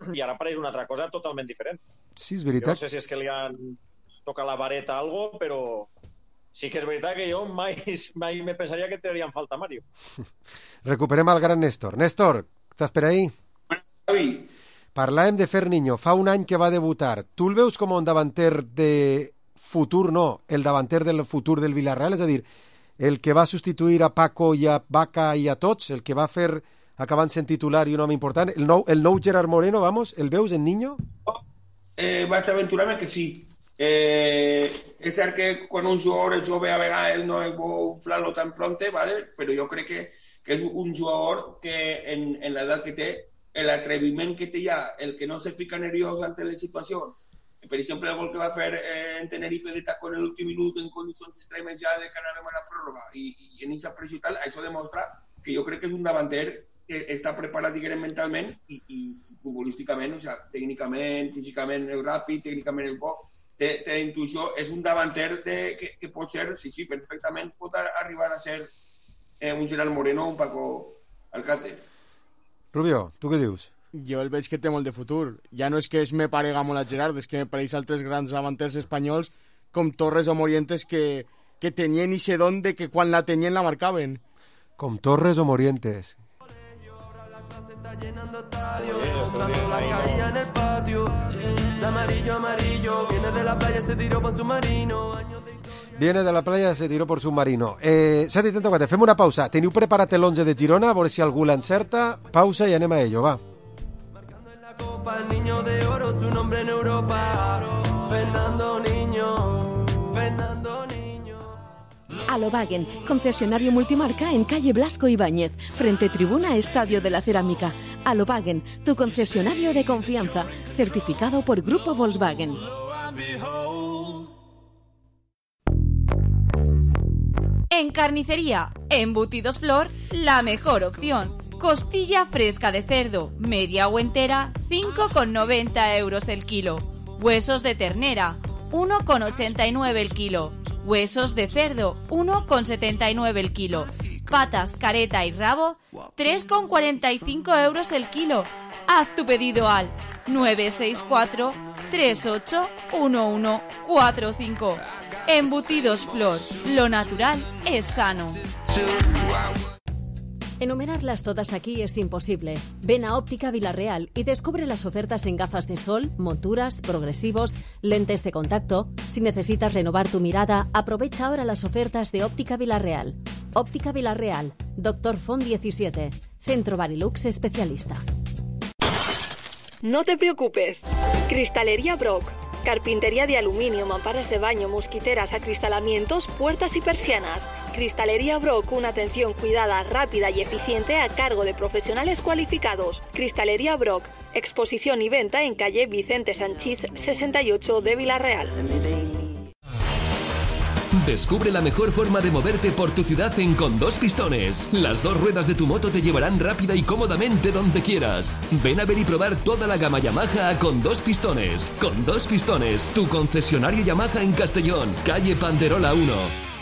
Speaker 3: I ara pareix una altra cosa totalment diferent.
Speaker 2: Sí, és veritat.
Speaker 3: Jo no sé si és que li han tocat la vareta o algo, però sí que és veritat que jo mai me pensaria que tindríem falta Mario.
Speaker 2: Recuperem el gran Néstor. Néstor, estàs per ahí?
Speaker 5: Sí.
Speaker 2: Parlàvem de Ferninho. Fa un any que va debutar. Tu el veus com un davanter de futur, no? El davanter del futur del Villarreal? És a dir, el que va substituir a Paco i a Vaca i a tots, el que va fer acabant sent titular i un home important, el nou Gerard Moreno, vamos, el veus en Niño?
Speaker 5: Vaig aventurar-me que sí. És cert que quan un jugador és jove a vegades no és bo inflar-lo tan pronte, ¿vale? Però jo crec que és un jugador que en l'edat que té, l'atreviment que té ja, el que no se fica nerviós ante les situacions, per exemple el gol que va fer en Tenerife de taco en l'últim minut en condicions extremes ja de que anàvem a la pròrroga i en aquesta pressió tal, això demostra que jo crec que és un davanter que està preparat, diguem, mentalment i futbolísticament, o sigui, tècnicament, físicament és ràpid, tècnicament és bo, té intuïció, és un davanter que pot ser, sí, perfectament pot arribar a ser un Gerard Moreno o un Paco Alcácer.
Speaker 2: Rubio, tu què dius?
Speaker 4: Jo el veig que té molt de futur. Ja no és que es me parega molt a Gerard, és que me pareix altres grans davanters espanyols com Torres o Morientes que tenien ixe don de que quan la tenien la marcaven.
Speaker 2: Com Torres o Morientes.
Speaker 14: Llenando estadio, mostrando la caída en el patio. El amarillo, viene de la playa, se tiró por submarino.
Speaker 2: Viene de la playa, se tiró por submarino. 7:34, fem una pausa. Teniu preparat l'11 de Girona, a veure si algú l'encerta. Pausa i anem a ello, va.
Speaker 14: La copa, el niño de oro, su nombre en Europa. Fernando Niño.
Speaker 15: Alobagen, concesionario multimarca en calle Blasco Ibáñez, frente tribuna Estadio de la Cerámica. Alobagen, tu concesionario de confianza, certificado por Grupo Volkswagen.
Speaker 16: En carnicería, embutidos Flor, la mejor opción. Costilla fresca de cerdo, media o entera, 5,90 euros el kilo. Huesos de ternera, 1,89 el kilo. Huesos de cerdo, 1,79 el kilo. Patas, careta y rabo, 3,45 euros el kilo. Haz tu pedido al 964 38 1145. Embutidos Flor, lo natural es sano.
Speaker 17: Enumerarlas todas aquí es imposible. Ven a Óptica Villarreal y descubre las ofertas en gafas de sol, monturas, progresivos, lentes de contacto. Si necesitas renovar tu mirada, aprovecha ahora las ofertas de Óptica Villarreal. Óptica Villarreal, Dr. Font 17, Centro Barilux especialista.
Speaker 18: No te preocupes. Cristalería Brock. Carpintería de aluminio, mamparas de baño, mosquiteras, acristalamientos, puertas y persianas. Cristalería Brock, una atención cuidada, rápida y eficiente a cargo de profesionales cualificados. Cristalería Brock, exposición y venta en calle Vicente Sanchís 68 de Villarreal.
Speaker 19: Descubre la mejor forma de moverte por tu ciudad en Con Dos Pistones. Las dos ruedas de tu moto te llevarán rápida y cómodamente donde quieras. Ven a ver y probar toda la gama Yamaha a Con Dos Pistones. Con Dos Pistones, tu concesionario Yamaha en Castellón, calle Panderola 1.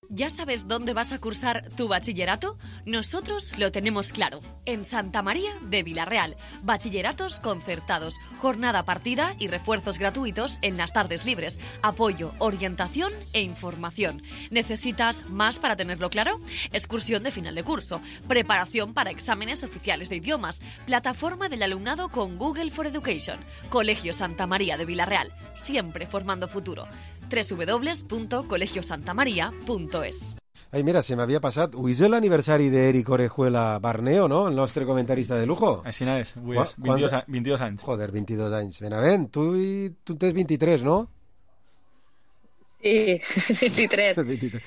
Speaker 13: ¿Ya sabes dónde vas a cursar tu bachillerato? Nosotros lo tenemos claro. En Santa María de Villarreal. Bachilleratos concertados, jornada partida y refuerzos gratuitos en las tardes libres. Apoyo, orientación e información. ¿Necesitas más para tenerlo claro? Excursión de final de curso. Preparación para exámenes oficiales de idiomas. Plataforma del alumnado con Google for Education. Colegio Santa María de Villarreal. Siempre formando futuro. www.colegiosantamaria.es.
Speaker 2: Ai, mira, se m'havia passat. Avui és l'aniversari d'Eric Orejuela Barneo, no? El nostre comentarista de lujo.
Speaker 7: Així és, avui és 22 anys.
Speaker 2: Joder, 22 anys. Benavent, tu tens 23, no?
Speaker 6: Sí, 23.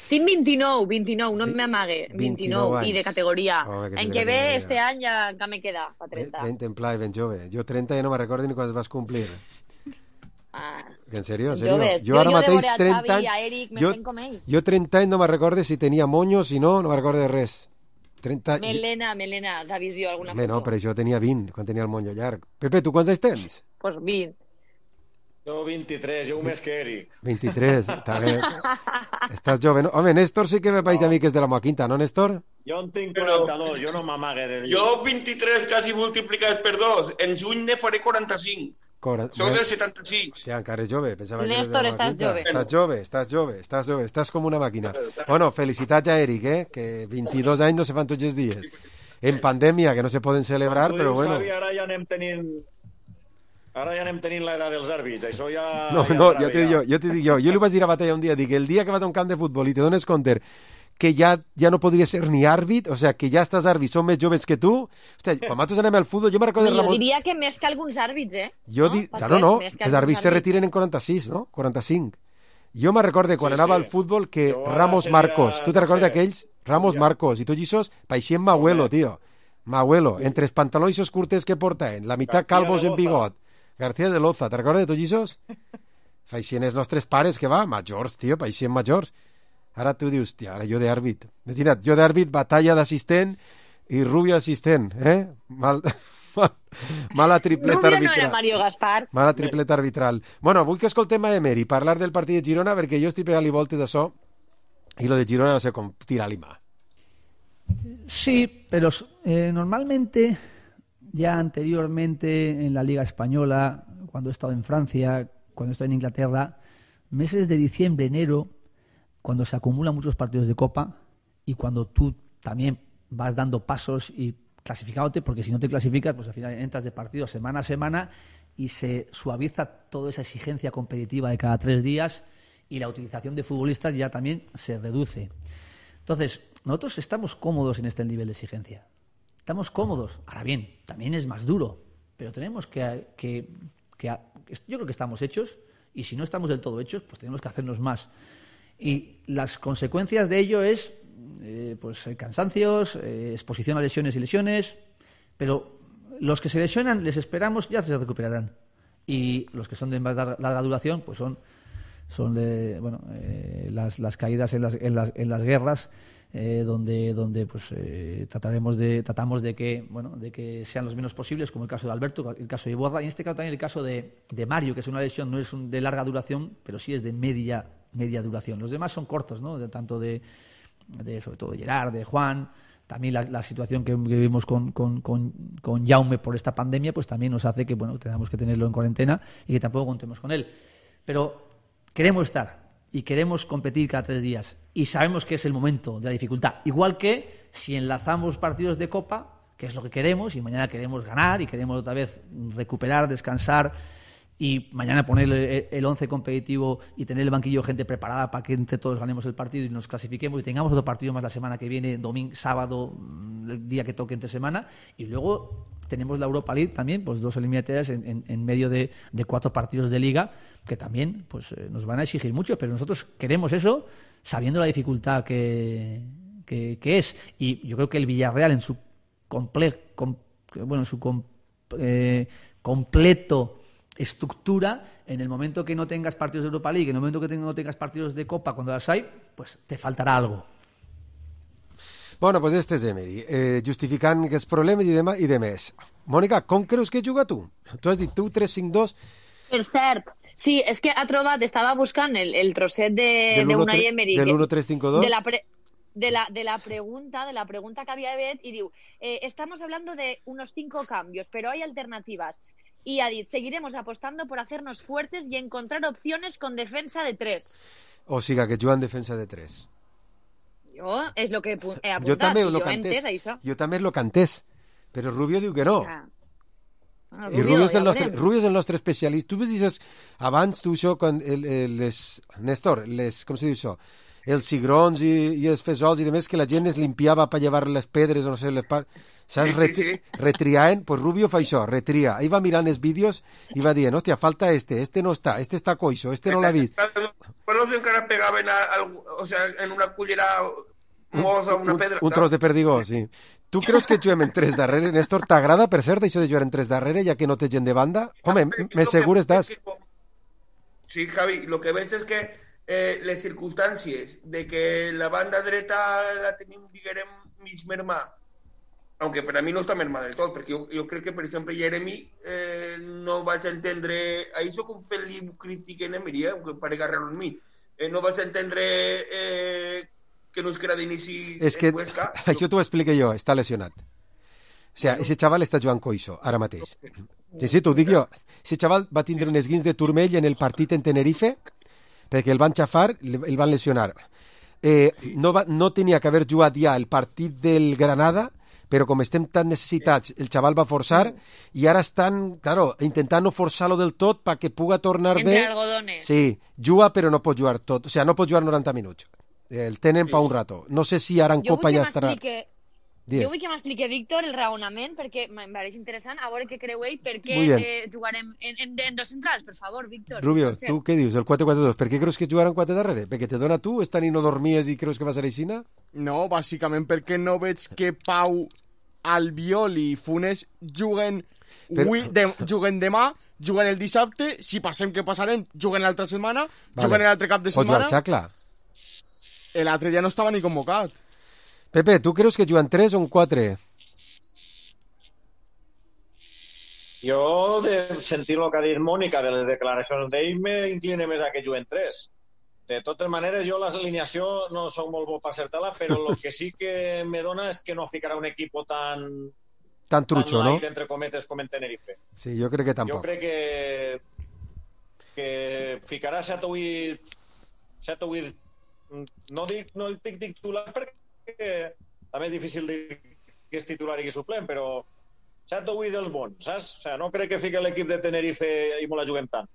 Speaker 6: Tinc 29, no m'amague. 29 i de categoria. En què ve, este any ja me queda, pa 30.
Speaker 2: Ben pla i ben jove. Jo 30 ja no me'n recordo ni quan es vas complir. En sèrio?
Speaker 6: Jo ara mateix 30 anys...
Speaker 2: Jo 30 anys no me'n recordo si tenia monyo, si no me'n recordo de res.
Speaker 6: Melena, t'ha vist jo alguna foto?
Speaker 2: No, però jo tenia 20 quan tenia el monyo llarg. Pepe, tu quants anys tens?
Speaker 6: Pues 20.
Speaker 3: Jo 23, jo més que Eric.
Speaker 2: 23, està bé. Estàs jove, no? Home, Néstor sí que me país a mi que és de la meva quinta, no, Néstor?
Speaker 3: Jo en tinc 42, jo no m'amague de dir.
Speaker 5: Jo 23 quasi multiplicats per 2. En juny ne faré 45. Sou del 75.
Speaker 2: Hòstia, encara és jove.
Speaker 6: Néstor, estàs jove.
Speaker 2: Estàs jove. Estàs com una màquina. Bueno, felicitats a Eric, que 22 anys no se fan tots els dies. En pandèmia, que no se poden celebrar, però bueno.
Speaker 3: Ara ja anem tenint l'edat dels àrbits, això ja...
Speaker 2: No, ja t'ho dic jo. Jo li vaig dir a Batalla un dia, dic, el dia que vas a un camp de futbol i te dones compte que ja no podria ser ni àrbit, o sea, que ja estàs àrbit, són més joves que tu. Hòstia, quan nosaltres anem al futbol, jo me recordo...
Speaker 6: Jo diria que més que alguns àrbits,
Speaker 2: Claro, no, els àrbits se retiren en 46, no? 45. Jo me recordo quan anava al futbol que Ramos Marcos, tu te recordes d'aquells? Ramos Marcos, i tots aquests paixien m'abuelo, tio. M'abuelo, entre els pantalons curtes que portaven, la meitat calvos en bigot. García de Loza, te recordes de tots aquests? Paixien els nostres pares, que va, majors, tio, paixien majors. Ara tu dius, tia, ara jo d'àrbit. Imagina't, jo d'àrbit, Batalla d'assistent i Rubio assistent, Mal... Mala tripleta
Speaker 6: Rubio no
Speaker 2: arbitral.
Speaker 6: era Mario Gaspar.
Speaker 2: Mala tripleta arbitral. Bueno, vull que escoltem a Emery parlar del partit de Girona, perquè jo estic pegant-li voltes d'això i lo de Girona no sé com tirar-li mà.
Speaker 20: Sí, pero normalmente, ya anteriormente en la Liga Española, cuando he estado en Francia, cuando he estado en Inglaterra, meses de diciembre, enero, cuando se acumulan muchos partidos de Copa y cuando tú también vas dando pasos y clasificándote, porque si no te clasificas, pues al final entras de partido semana a semana y se suaviza toda esa exigencia competitiva de cada 3 días y la utilización de futbolistas ya también se reduce. Entonces, nosotros estamos cómodos en este nivel de exigencia. Estamos cómodos. Ahora bien, también es más duro, pero tenemos que yo creo que estamos hechos, y si no estamos del todo hechos, pues tenemos que hacernos más. Y las consecuencias de ello es cansancios, exposición a lesiones y lesiones, pero los que se lesionan, les esperamos, ya se recuperarán. Y los que son de más larga duración, pues son las caídas en las guerras, donde tratamos de que sean los menos posibles, como el caso de Alberto, el caso de Iborra, y en este caso también el caso de Mario, que es una lesión, no es de larga duración, pero sí es de media duración. Los demás son cortos, ¿no? Tanto de sobre todo de Gerard, de Juan. También la situación que vivimos con Jaume por esta pandemia, pues también nos hace que tengamos que tenerlo en cuarentena y que tampoco contemos con él. Pero queremos estar y queremos competir cada 3 días y sabemos que es el momento de la dificultad. Igual que si enlazamos partidos de Copa, que es lo que queremos, y mañana queremos ganar y queremos otra vez recuperar, descansar y mañana poner el 11 competitivo y tener el banquillo gente preparada para que entre todos ganemos el partido y nos clasifiquemos y tengamos otro partido más la semana que viene, domingo, sábado, el día que toque entre semana, y luego tenemos la Europa League también, pues 2 eliminatorias en medio de 4 partidos de Liga que también nos van a exigir mucho, pero nosotros queremos eso sabiendo la dificultad que es, y yo creo que el Villarreal en su completo estructura, en el momento que no tengas partidos de Europa League, en el momento que no tengas partidos de Copa, cuando las hay, pues te faltarà algo.
Speaker 2: Bueno, pues este és Emery, justificant aquests problemes i de més. Mònica, com creus que juga tu? Tu has dit tu 3-5-2...
Speaker 6: Per cert, sí, és que ha trobat, estava buscant el trosset d'Unai Emery.
Speaker 2: Del 1-3-5-2?
Speaker 6: De la pregunta que había fet, y diu, estamos hablando de unos 5 cambios, pero hay alternativas. Y ha dit, seguiremos apostando por hacernos fuertes y encontrar opciones con defensa de 3.
Speaker 2: O sigui, que juga en defensa de 3.
Speaker 6: Jo és el que he apuntat.
Speaker 2: Jo també lo cantès, però Rubio diu que no. I Rubio és el nostre especialista. Tu ves això, abans tu això, Néstor, com se diu això? Els cigrons i els fesols i demés, que la gent es limpiava per llevar les pedres o no sé, saps, retriaven, pues Rubio fa això, retria. Ahí va mirant els vídeos i va dient, hòstia, falta este no està coixo, este no l'ha vist.
Speaker 5: Però no encara pegaven en una cullera mosa una pedra.
Speaker 2: Un tros de perdigó, sí. Tu creus que juguem en 3 darrere? Néstor, t'agrada, per cert, això de jugar en 3 darrere, ja que no té gent de banda? Home, més segur estàs.
Speaker 5: Sí, Javi, lo que veig és que les circumstàncies de que la banda dreta la tenim, diguem, mig mermada, aunque per a mi no està mermada del tot, perquè jo crec que, per exemple, Jeremy no vaig a entendre, ahí soc un pel·li crític en Emery, aunque parega raro en mi, no vaig a entendre que no es queda d'inici en Huesca.
Speaker 2: Això t'ho explico jo, està lesionat. O sigui, ese xaval està jugant coixo, ara mateix. Sí, t'ho dic jo. Ese xaval va tindre un esguins de turmell en el partit en Tenerife, perquè el van xafar, el van lesionar. No tenia que haver jugat ja el partit del Granada, però com estem tan necessitats, el xaval va forçar i ara estan, claro, intentant no forçar-lo del tot perquè puga tornar bé.
Speaker 6: Entre algodones.
Speaker 2: Sí, juga però no pot jugar tot, o sigui, no pot jugar 90 minuts. El tenen pa un rato. No sé si ara en Copa ja estarà...
Speaker 6: Jo vull que m'expliqui, Víctor, el raonament, perquè em pareix interessant, a veure què creu ell, per què jugarem en 2 centrals, per favor, Víctor.
Speaker 2: Rubio, tu què dius, el 4-4-2? Per què creus que jugaran 4 darrere? Perquè te dona tu, esta nit no dormies i creus que va ser així?
Speaker 4: No, bàsicament perquè no veig que Pau, Albiol i Funes juguen demà, juguen el dissabte, si passem que passarem, juguen l'altra setmana, juguen l'altre cap de setmana.
Speaker 2: O jugar Xacla.
Speaker 4: L'altre ja no estava ni convocat.
Speaker 2: Pepe, tu creus que juguen 3 o un 4?
Speaker 3: Jo, de sentir el que ha dit Mònica de les declaracions d'ell, m'incline més a que juguen 3. De totes maneres, jo l'alineació no soc molt bo per acertar-la, però el que sí que me dona és que no ficarà un equip tan
Speaker 2: trucho,
Speaker 3: light,
Speaker 2: no?
Speaker 3: entre cometes, com en Tenerife.
Speaker 2: Sí, jo crec que tampoc.
Speaker 3: Jo crec que ficarà 7 o 8... No dic titulars perquè també és difícil dir que és titular i que és suplent, però 7 o 8 dels bons, saps? O sigui, no crec que fiqui l'equip de Tenerife i molt la juguem tant.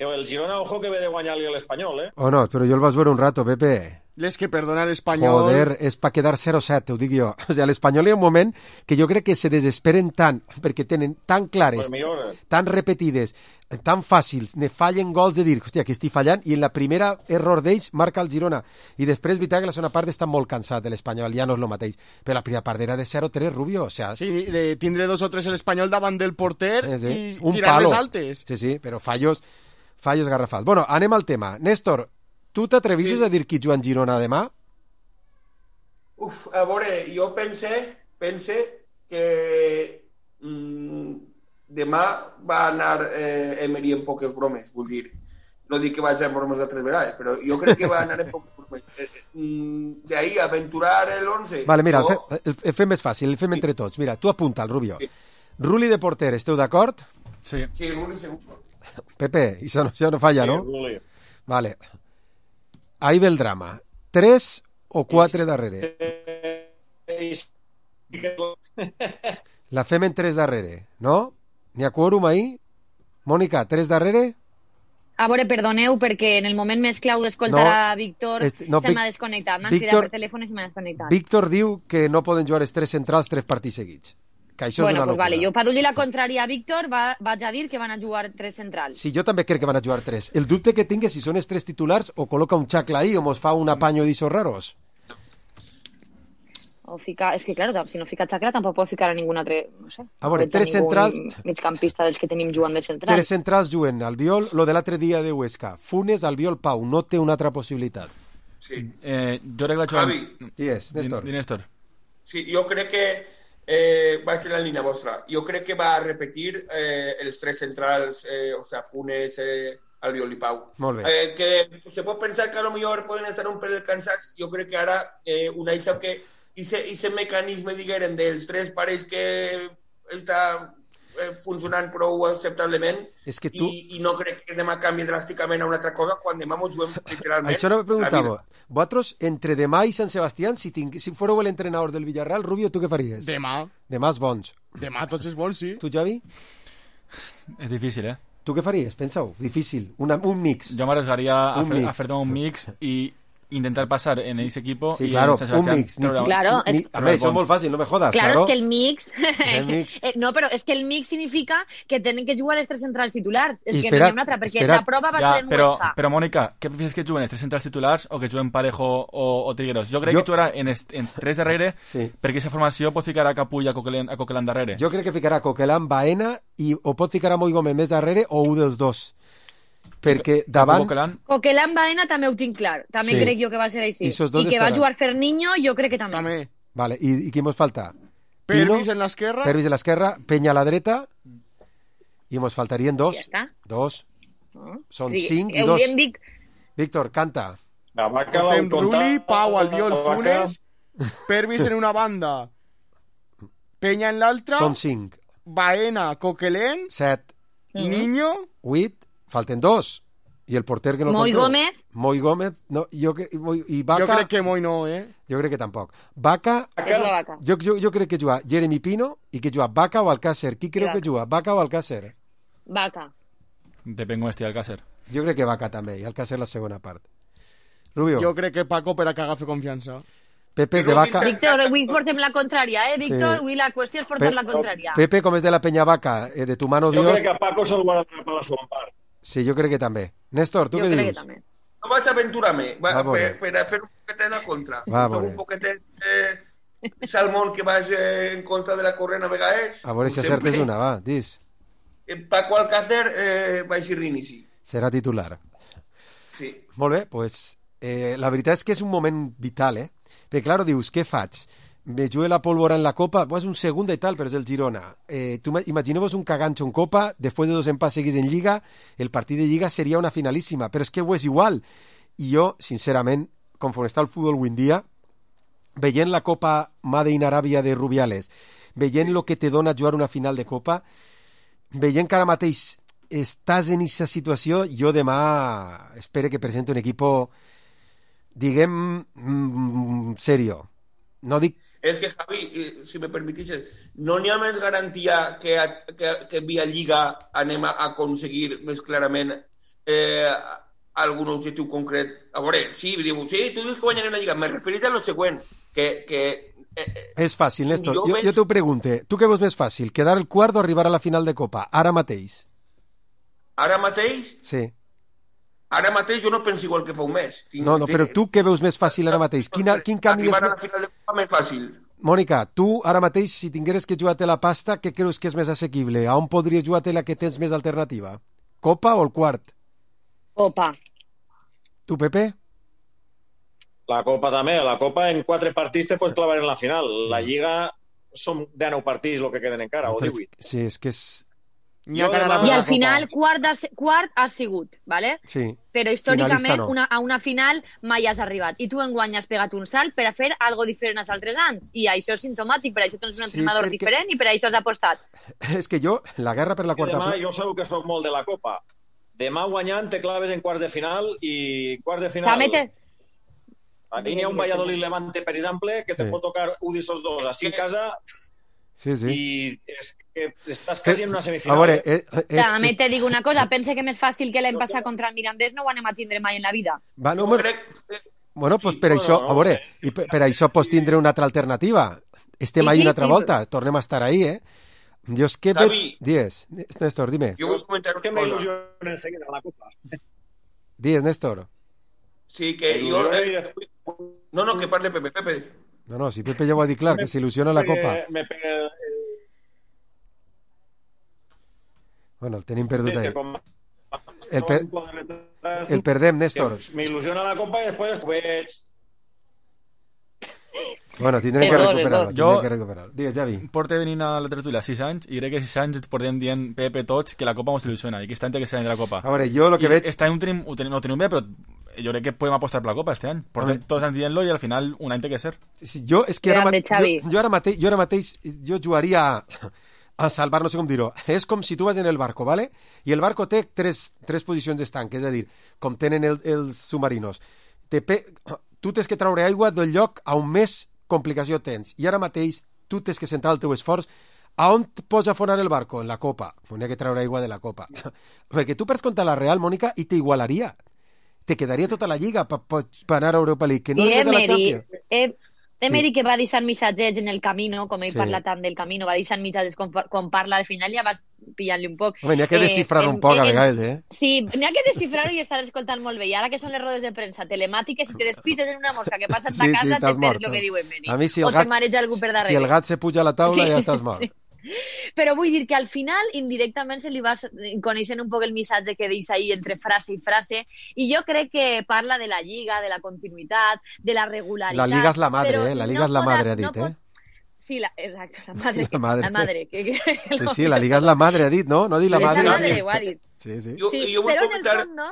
Speaker 3: El Girona, ojo, que ve de guanyar-li a l'Espanyol, eh?
Speaker 2: Oh, no, però jo el vas veure un rato, Pepe.
Speaker 4: Les que perdona l'Espanyol...
Speaker 2: Joder, és per quedar 0-7, ho dic jo. O sigui, l'Espanyol hi ha un moment que jo crec que se desesperen tant, perquè tenen tan clares, tan repetides, tan fàcils, ne fallen gols de dir, hòstia, que estic fallant, i en la primera error d'ells marca el Girona. I després, veritat que la segona part està molt cansat de l'Espanyol, ja no és el mateix. Però la primera part era de 0-3, Rubio, o sea...
Speaker 4: Sí, de tindre 2 o 3 l'Espanyol davant del porter i
Speaker 2: un
Speaker 4: tirar-les altes.
Speaker 2: Sí, però fallos garrafals. Bueno, anem al tema. Néstor, tu t'atrevisses a dir qui juga en Girona demà?
Speaker 5: A veure, jo pense que demà va anar Emery en poques bromes, vull dir. No dic que vaig a bromes de 3 vegades, però jo crec que va anar en poques bromes. D'ahí aventurar l'11...
Speaker 2: Vale, mira, el fem més fàcil, el fem entre tots. Mira, tu apunta el Rubio. Sí. Ruli de porter, esteu d'acord?
Speaker 7: Sí.
Speaker 5: Sí, Ruli segur.
Speaker 2: Pepe, això no falla, no?
Speaker 3: Ruli.
Speaker 2: Vale. Ahí ve el drama. 3 o 4 darrere? La fem en 3 darrere, no? N'hi ha quòrum ahí? Mònica, 3 darrere?
Speaker 6: A veure, perdoneu, perquè en el moment més clau d'escoltar a Víctor se m'ha desconnectat. M'han cridat per telèfon i se m'ha desconnectat.
Speaker 2: Víctor diu que no poden jugar els 3 centrals 3 partits seguits. Que això
Speaker 6: bueno,
Speaker 2: és una
Speaker 6: pues
Speaker 2: locura.
Speaker 6: Vale, jo per donar la contrària a Víctor vaig a dir que van a jugar 3 centrals.
Speaker 2: Sí, jo també crec que van a jugar 3. El dubte que tinc és si són els 3 titulars o col·loca un xacla ahí o mos fa un apaño d'ixos raros.
Speaker 6: O ficar... És que, claro, si no fica xacla tampoc pot ficar a ningun altre... No sé.
Speaker 2: A veure, 3 centrals...
Speaker 6: Migcampista dels que tenim jugant de central.
Speaker 2: 3 centrals juguen Albiol, lo de l'altre dia de Huesca. Funes, Albiol, Pau. No té una altra possibilitat.
Speaker 5: Sí.
Speaker 7: Jo crec que vaig jugar...
Speaker 2: Qui és?
Speaker 7: Néstor.
Speaker 5: Sí, jo crec que vaig en la línia vostra. Jo crec que va repetir els 3 centrals, o sea, Funes, Albiol i Pau.
Speaker 2: Molt bé.
Speaker 5: Que se pot pensar que a lo millor poden estar un pel cansats. Jo crec que ara Unai sap que ese mecanisme, diguem, dels 3 parells que està funcionant prou acceptablement i no crec que demà canvi dràsticament a una altra cosa quan demà mos juguem literalment.
Speaker 2: Això no me preguntava. Vosaltres, entre demà i Sant Sebastián, si fóreu l'entrenador del Villarreal, Rubio, tu què faries?
Speaker 4: Demà.
Speaker 2: Demà els bons.
Speaker 4: Demà tots els bons, sí.
Speaker 2: Tu, Javi?
Speaker 7: És difícil, eh?
Speaker 2: Tu què faries? Pensa-ho. Difícil. Un mix.
Speaker 7: Jo m'arriscaria a fer-me un mix i intentar pasar en ese equipo
Speaker 2: sí,
Speaker 7: y
Speaker 2: claro,
Speaker 7: un
Speaker 2: mix.
Speaker 6: Claro,
Speaker 2: a ver, eso es muy fácil, no me jodas.
Speaker 6: Claro, es que el mix... no, però és que el mix significa que tenen que jugar els 3 centrals titulars. És que no hi ha una altra, perquè la prova va ser en Huesca.
Speaker 7: Però, Mònica, què prefieres que juguen els 3 centrals titulars o que juguen Parejo o Trigueros? Jo crec que jugarà en 3 darrere perquè aquesta formació pot ficar a Capull a Coquelin darrere.
Speaker 2: Jo crec que ficarà Coquelin, Baena o pot ficar a Moi Gómez més darrere o un dels dos. Perquè davant...
Speaker 6: Coquelin Baena també ho tinc clar. També crec jo que va ser així. I que va jugar Ferniño, jo crec que també.
Speaker 2: Vale, i qui mos falta?
Speaker 4: Pervis en l'esquerra.
Speaker 2: Pervis en l'esquerra, Peña a la dreta, i mos faltarien 2.
Speaker 6: Ja està.
Speaker 2: 2. Són 5 i 2. Víctor, canta.
Speaker 4: Portem Ruli, Pau, Albiol, Funes, Pervis en una banda, Peña en l'altra.
Speaker 2: Són 5.
Speaker 4: Baena, Coquelin.
Speaker 2: 7.
Speaker 4: Niño.
Speaker 2: 8. Falten 2. I el porter que no
Speaker 6: Moi Gómez.
Speaker 2: Moi Gómez. No, i Vaca...
Speaker 4: Jo crec que Moi no,
Speaker 2: Jo crec que tampoc. Vaca... Jo crec que juga Jeremy Pino i que juga Vaca o Alcácer. Qui creu que juga? Vaca o Alcácer?
Speaker 6: Vaca.
Speaker 7: Depèn com estigui Alcácer.
Speaker 2: Jo crec que Vaca també, i Alcácer la segona part. Rubio.
Speaker 4: Jo crec que Paco per a que agafi confiança.
Speaker 2: Pepe és de Vaca.
Speaker 6: Víctor, avui portem la contrària, Víctor? Avui la qüestió és portar la contrària.
Speaker 2: Pepe, com és de la Penya Vaca, de tu mano Dios...
Speaker 3: Jo crec que a Paco se'l va atrapar a la segona part.
Speaker 2: Sí, jo crec que també. Néstor, tu què dius?
Speaker 5: No vaig aventurar-me per a fer un poquetet de contra. Som un poquetet salmón que vaig en contra de la corrent a vegades.
Speaker 2: A veure si acertes una, va, dis.
Speaker 5: Paco Alcácer vaig ir d'inici.
Speaker 2: Serà titular.
Speaker 5: Sí.
Speaker 2: Molt bé, doncs la veritat és que és un moment vital, Perquè, clar, dius, què faig? me jugué la pólvora en la Copa, pues un segunda y tal, pero es el Girona. Imaginemos un cagancho en Copa, después de 2 empats seguidos en Lliga, el partido de Lliga sería una finalísima, pero es que es igual. I jo, sincerament, conforme està el futbol avui en dia, veient la Copa Made in Aràbia de Rubiales, veient lo que te dona jugar una final de Copa, veient que ara mateix estàs en aquesta situació, jo demà espero que presenti un equipo, diguem, serio. No dic...
Speaker 5: És que, Javi, si me permetixes, no n'hi ha més garantia que via Lliga anem a aconseguir més clarament algun objectiu concret. A veure, sí, tu dius que guanyarem la Lliga. Me refereix a lo següent, que
Speaker 2: és fàcil, Néstor. Jo t'ho pregunte. Tu què veus més fàcil? Quedar el quart o arribar a la final de Copa? Ara mateix.
Speaker 5: Ara mateix?
Speaker 2: Sí.
Speaker 5: Ara mateix jo no penso igual que fa un mes.
Speaker 2: No, però tu què veus més fàcil ara mateix? Quin canvi és...
Speaker 5: Arribar a la final de Copa més fàcil.
Speaker 2: Mònica, tu ara mateix, si tingueres que jugar-te la pasta, què creus que és més assequible? A on podries jugar-te la que tens més alternativa? Copa o el quart?
Speaker 6: Copa.
Speaker 2: Tu, Pepe?
Speaker 3: La Copa també. La Copa en 4 partits te pots clavar en la final. La Lliga són 19 partits el que queden encara, o 18.
Speaker 2: Sí, és que és...
Speaker 6: I al final quart ha sigut, ¿vale?
Speaker 2: Sí.
Speaker 6: Però històricament
Speaker 2: no.
Speaker 6: a una final mai has arribat. I tu enguany has pegat un salt per a fer algo diferent als altres anys. I això és simptomàtic, per això tens un entrenador diferent i per això has apostat.
Speaker 2: És que jo, la guerra per la quarta...
Speaker 3: Demà jo segur que soc molt de la Copa. Demà guanyant te claves en quarts de final i quarts de final... Aquí n'hi ha un Valladolid Levante, per exemple, que te pot tocar un d'aquests dos així a casa...
Speaker 2: Sí.
Speaker 3: I és que estàs quasi en una semifinal.
Speaker 2: A veure,
Speaker 6: també te dic una cosa, pense que més fàcil que l'any passat contra el Mirandés no ho anem a tindre mai en la vida.
Speaker 2: Bueno, pues per això, a veure, i per això pots tindre una altra alternativa. Estem ahí una altra volta, tornem a estar ahí, Jo és que veig... Dies, Néstor, dime.
Speaker 5: Jo vull comentar
Speaker 3: que m'il·lusiona enseguida la Copa.
Speaker 2: Dies, Néstor.
Speaker 5: Sí, que jo... No, que parle Pepe.
Speaker 2: No, si Pepe ja ho ha dit clar, que s'il·lusiona la Copa. Bueno, el tenim perdut ahí. El perdem, Néstor.
Speaker 3: M'il·lusiona la Copa i després ho veig.
Speaker 2: Bueno, tindrem que recuperar-lo. Digues, Javi.
Speaker 7: Porto venint a la tertúlia 6 anys i crec que 6 anys portem dient Pepe tots que la Copa mos il·lusiona i que aquest any té que ser l'any de la Copa.
Speaker 2: A veure, jo el que veig...
Speaker 7: Aquest any ho tenim bé, però jo crec que podem apostar per la Copa este any. Portem tots anys dient-lo i al final un any té que ser.
Speaker 2: Jo és que ara mateix jo jugaria a salvar, no sé com dir-ho. És com si tu vas en el barco, ¿vale? I el barco té tres posicions d'estanc, és a dir, com tenen els submarinos. Tu tens que treure aigua del lloc a on més complicació tens. I ara mateix tu tens que centrar el teu esforç a on pots afonar el barco? En la Copa. N'hi ha que treure aigua de la Copa. Perquè tu perds contra la Real, Mònica, i t'igualaria. Te quedaria tota la Lliga per anar a Europa League. Que no arribes a la Champions.
Speaker 6: Emery, que va deixant missatgets en el camino, com ell parla tant del camino, va deixant missatges quan parla al final, ja vas pillant-li un poc.
Speaker 2: Home, n'hi ha que descifrar-ho un poc a vegades,
Speaker 6: Sí, n'hi ha que descifrar-ho i estar escoltant molt bé. I ara que són les rodes de premsa telemàtiques, si te despises en una mosca que passa a ta casa, te perds el que diu Emery.
Speaker 2: A mi, si
Speaker 6: o te mareja algú per darrere.
Speaker 2: Si el gat se puja a la taula, ja estàs mort.
Speaker 6: Però vull dir que al final indirectament se li va coneixent un poc el missatge que deixa ahí entre frase i frase, i jo crec que parla de la Lliga, de la continuïtat, de la regularitat.
Speaker 2: La Liga és la madre, la Liga és la madre, ha dit,
Speaker 6: Sí, exacte, la madre.
Speaker 2: Sí, la Liga és la madre, ha dit, no? No ha dit la madre.
Speaker 6: La madre, ho ha dit.
Speaker 2: Sí.
Speaker 6: Però en el fons, no?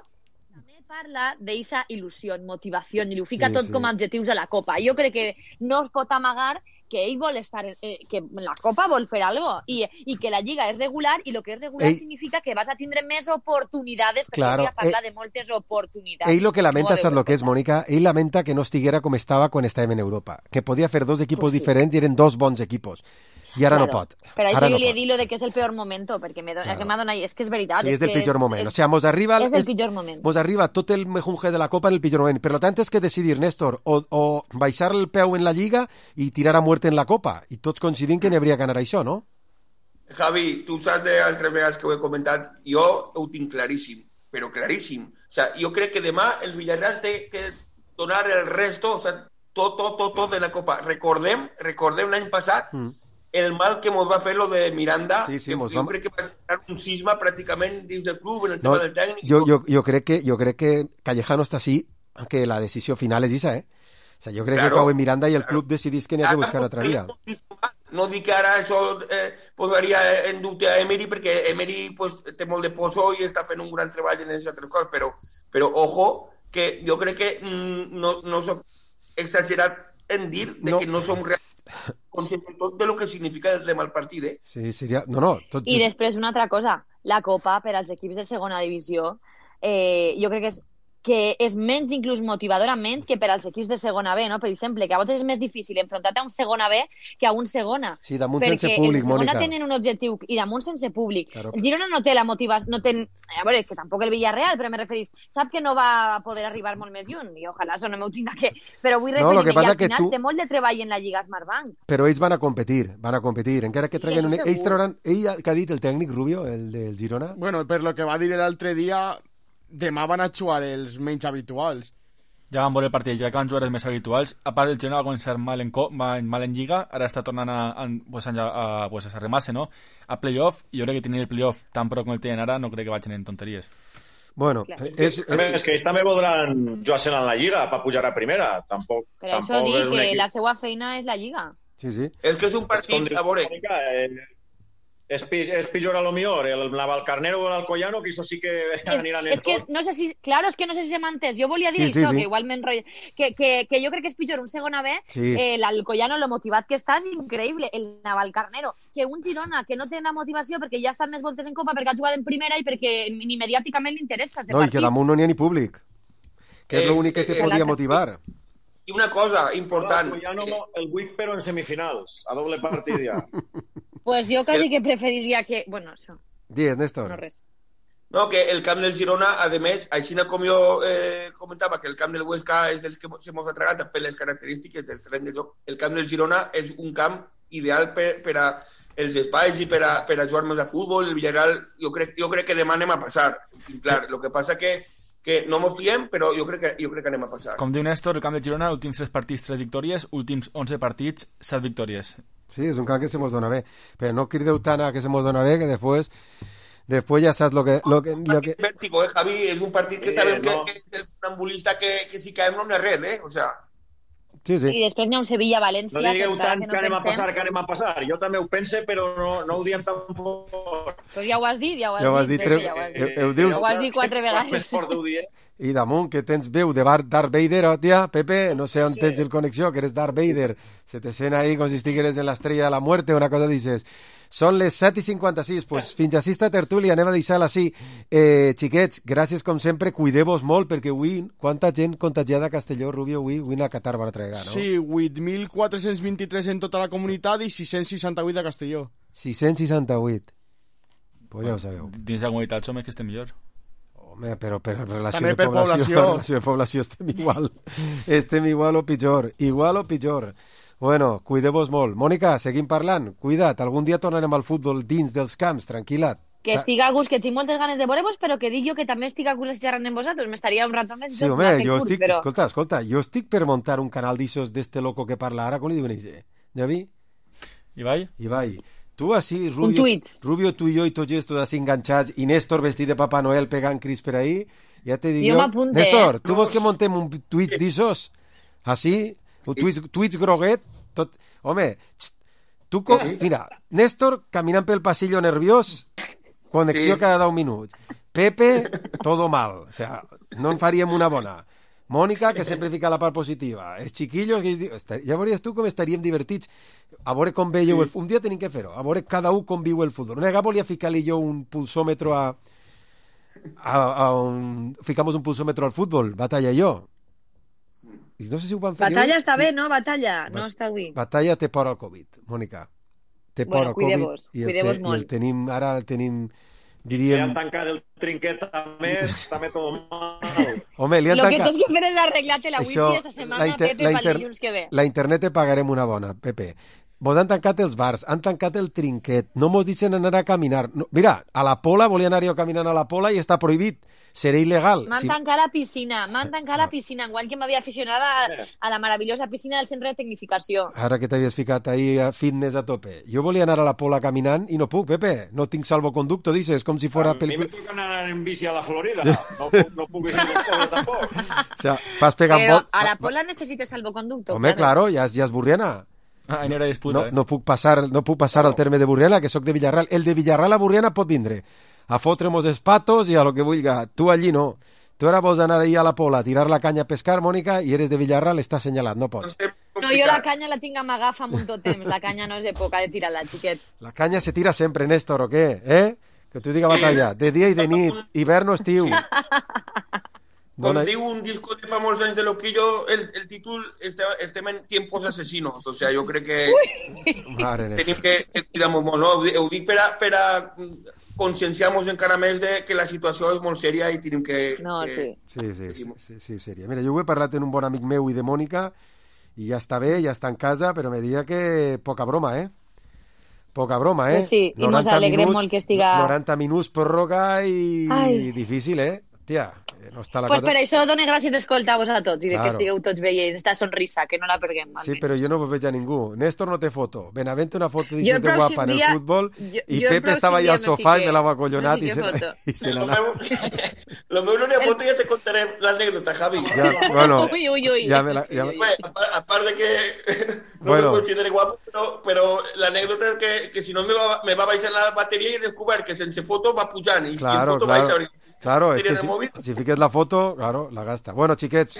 Speaker 6: També parla d'eixa il·lusió, motivació, i ho fica tot com a adjectius a la Copa. Jo crec que no es pot amagar que ell vol estar, que la Copa vol fer alguna cosa, i que la Lliga és regular, i el que és regular significa que vas a tindre més oportunitats, perquè ja parla de moltes oportunitats.
Speaker 2: Ell el que lamenta, saps el que és, Mònica? Ell lamenta que no estiguera com estava quan estàvem en Europa, que podia fer 2 equipos diferents i eren 2 bons equipos. I ara no pot.
Speaker 6: Per això jo li he dit de que és el peor moment, perquè m'ha donat... És que és veritat.
Speaker 2: Sí, és el pitjor moment. O sigui, mos arriba...
Speaker 6: És el pitjor moment.
Speaker 2: Mos arriba tot el mejunje de la Copa en el pitjor moment. Per tant, és que decidir, Néstor, o baixar el peu en la Lliga i tirar a muerte en la Copa. I tots coincidim que n'hi hauria que anar això, no?
Speaker 5: Javi, tu saps d'altres vegades que ho he comentat, jo ho tinc claríssim, però claríssim. O sigui, jo crec que demà el Villarreal té que donar el resto, o sigui, tot de la Copa. Recordem l'any passat el mal que ens va fer lo de Miranda, jo crec que va ser un cisma pràcticament dins del club en el tema del tècnic.
Speaker 2: Jo crec que Callejano està així, que la decisió final és aquesta, O sea, jo crec que Cauê Miranda i el club decidís que n'hi ha que buscar altra via.
Speaker 5: No dic que ara això posaria en dubte a Emery, perquè Emery pues, té molt de poso i està fent un gran treball en aquestes altres coses, però ojo, que jo crec que no soc exagerat en dir que no som realment conscients de tot de lo que significa el tema del partit,
Speaker 2: Sí, seria... No, tot
Speaker 6: I després una altra cosa, la Copa per als equips de segona divisió jo crec que és menys inclús motivadorament que per als equips de segona B, no? Per exemple, que a vegades és més difícil enfrontar-te a un segona B que a un segona.
Speaker 2: Sí, damunt sense públic, Mònica.
Speaker 6: Perquè el segona tenen un objectiu i damunt sense públic. Claro. El Girona no té la motivació, no té... A veure, que tampoc el Villarreal, però me referís, sap que no va poder arribar molt més lluny, i ojalà això no m'ho tinga que... Però vull referir-me, i al final té molt de treball en la Lliga Smartbank.
Speaker 2: Però ells van a competir, encara que treguen un... Ells trauran... Ell, que ha dit el tècnic Rubio, el del Girona?
Speaker 4: Bueno, per lo que va dir l'altre dia... Demà van a jugar els menys habituals.
Speaker 7: Ja van veure el partit, ja que van jugar els més habituals. A part, el Girona va començar mal en Lliga, ara està tornant a arremar-se, no? A playoff, i jo crec que tenir el playoff tan prou com el tenen ara, no crec que vagin en tonteries.
Speaker 2: Bueno,
Speaker 3: és que ells també voldran jugar-se en la Lliga per pujar a primera. Tampoc
Speaker 6: això dic que la seva feina és la Lliga.
Speaker 2: Sí, sí.
Speaker 5: És que és un partit, a veure...
Speaker 3: És pitjor a lo millor el Navalcarnero o l'Alcoyano, que això sí que aniran en tot.
Speaker 6: És que no sé si... Claro, és que no sé si se m'ha entès. Jo volia dir això, que igual m'enrotllo. Que jo crec que és pitjor un segona B, l'Alcoyano, lo motivat que està, és increïble. El Navalcarnero, que un Girona que no té la motivació perquè ja ha estat més voltes en Copa, perquè ha jugat en primera i perquè ni mediàticament li interessa.
Speaker 2: No, i que damunt no n'hi ha ni públic. Que és l'únic que te podia motivar.
Speaker 5: I una cosa important...
Speaker 3: El Wick, però en semifinals, a doble partit ja.
Speaker 6: Pues jo quasi que preferiria que... Bueno, això.
Speaker 2: Digues, Néstor.
Speaker 6: No, res.
Speaker 5: No, que el camp del Girona, a més, així com jo comentava que el camp del Huesca és dels que se mos atraganta per les característiques del terreny de joc, el camp del Girona és un camp ideal per a els espais i per a jugar més a futbol. El Villarreal, jo crec que demà anem a passar. Clar, el que passa que no mos fiem, però jo crec que anem a passar.
Speaker 7: Com diu Néstor, el camp de Girona, últims 3 partits, 3 victòries, últims 11 partits, 7 victòries.
Speaker 2: Sí, és un camp que se mos dona bé, però no crideu tant a que se mos dona bé, que després ja saps lo que...
Speaker 5: Vértigo, Javi, és un partit que sabem que és el funambulista que si caem no n'hi ha res, o sea...
Speaker 2: Sí.
Speaker 6: I després n'hi ha un Sevilla-València...
Speaker 3: No digueu tant que anem a passar. Jo també ho pense, però no ho diem tan fort.
Speaker 6: Però ja ho has dit, Ho has dit 4 vegades.
Speaker 2: I damunt, que tens veu de Darth Vader, hòstia, Pepe, no sé on tens el connexió, que eres Darth Vader. Se te sent ahí com si estigueres en l'estrella de la muerte, una cosa dices. Són les 7:56, pues fins així esta tertúlia, anem a deixar-la així. Xiquets, gràcies com sempre, cuideu-vos molt, perquè avui, quanta gent contagiada a Castelló, Rubio, avui a Qatar van a tregar, no?
Speaker 4: Sí, 8.423 en tota la comunitat i 668 a Castelló.
Speaker 2: 668. Pues ja ho sabeu.
Speaker 7: Dins la comunitat som els que estem millor.
Speaker 2: Home, però per relació de població estem igual. Estem igual o pitjor. Bueno, cuideu-vos molt. Mònica, seguim parlant. Cuida't, algun dia tornarem al futbol dins dels camps, tranquil·la.
Speaker 6: Que estic a gust, que tinc moltes ganes de veure-vos, però que dic jo que també estic a gust xerrant amb vosaltres. M'estaria un rato més...
Speaker 2: Sí, home, jo estic... Però... Escolta, jo estic per muntar un canal d'aixos d'este loco que parla ara, com li diuen ells? Ja vi? Ibai. Tu així, Rubio, tu i jo i tots estos així enganxats, i Néstor vestit de Papà Noel pegant cris per ahí, ja te dic jo... Néstor, tu vols que montem un tuits d'aixos? Així? Un tuits groguet? Tot... Home, tu... Mira, Néstor caminant pel passillo nerviós, connexió cada 10 minuts. Pepe, todo mal. O sea, no en faríem una bona. Mònica, que sempre fica la part positiva. Els xiquillos, ja veuries tu com estaríem divertits. A veure com veieu el... Un dia tenim que fer-ho. A veure cada un com viu el futbol. Una vegada volia ficar-li jo un pulsòmetro Ficamos un pulsòmetro al futbol, Batalla i jo. I no sé si ho van fer.
Speaker 6: Batalla està bé, no? Batalla, no està bé.
Speaker 2: Batalla té por al Covid, Mònica. Té por al Covid.
Speaker 6: Cuideu-vos molt.
Speaker 2: Ara el tenim... Diríem...
Speaker 3: Li han tancat el trinquet també tot mal.
Speaker 2: Home, li han
Speaker 6: tancat... Lo que tens que fer és arreglar-te la wifi esta setmana, Pepe, pel dilluns que ve.
Speaker 2: La internet te pagarem una bona, Pepe. vos han tancat els bars, han tancat el trinquet, no mos deixen anar a caminar. No, mira, a la Pola, volia anar jo caminant a la Pola i està prohibit. Serà il·legal.
Speaker 6: M'han tancat la piscina, enguany que m'havia aficionat a la meravellosa piscina del centre de tecnificació.
Speaker 2: Ara que t'havies ficat ahí a fitness a tope. Jo volia anar a la Pola caminant i no puc, Pepe. No tinc salvoconducto, dices, com si fora...
Speaker 3: A mi me toca anar en bici a la Florida. No puc ir tampoc.
Speaker 2: O sea, vas pegant
Speaker 6: Però a la Pola necessites salvoconducto.
Speaker 2: Home, claro, ja és Burriana.
Speaker 7: No era disputa,
Speaker 2: no puc passar al terme de Burriana, que sóc de Villarreal. El de Villarreal a Burriana pot vindre a fotre-mos els patos i a lo que vulga. Tu allí no. Tu ara vols anar ahí a la Pola a tirar la canya a pescar, Mònica, i eres de Villarreal, està assenyalat, no pots.
Speaker 6: No, jo la canya la tinc amagada fa molt temps. La canya no és època de tirar-la, xiquet.
Speaker 2: La canya se tira sempre, Néstor, o què? Que t'ho diga batalla. De dia i de nit, hivern o estiu.
Speaker 5: Com diu un disco de fa molts anys de Loquillo, el títol estem en tiempos asesinos. O sea, jo crec que tenim que tirar molt, no? Ho dic per a conscienciar-nos encara més de que la situació és molt sèria i tenim que...
Speaker 6: No, sí.
Speaker 2: Sí, sèria. Mira, jo ho he parlat amb un bon amic meu i de Mònica i ja està bé, ja està en casa, però me diria que poca broma, Poca broma,
Speaker 6: Pues sí, i ens alegrem molt que estiga...
Speaker 2: 90 minuts pròrroga i difícil, Tia, no està la
Speaker 6: pues
Speaker 2: cosa...
Speaker 6: per això dono gràcies d'escoltar-vos a tots i de que estigueu tots veient esta sonrisa, que no la perguem.
Speaker 2: Sí, però jo no vos veig a ningú. Néstor no té foto. Benavente una foto d'aixes de guapa en el futbol i Pepe estava allà al sofà i me l'ha acollonat i se n'ha anat.
Speaker 5: Lo meu no n'hi ha foto, ja te contaré l'anècdota, Javi.
Speaker 6: Ui.
Speaker 5: A part de que no me considere guapo, però l'anècdota és que si no me va baixar la bateria i he descobert que sense foto va pujant i en foto baixa.
Speaker 2: Claro, es que si fiques la foto, claro, la gasta. Bueno, xiquets,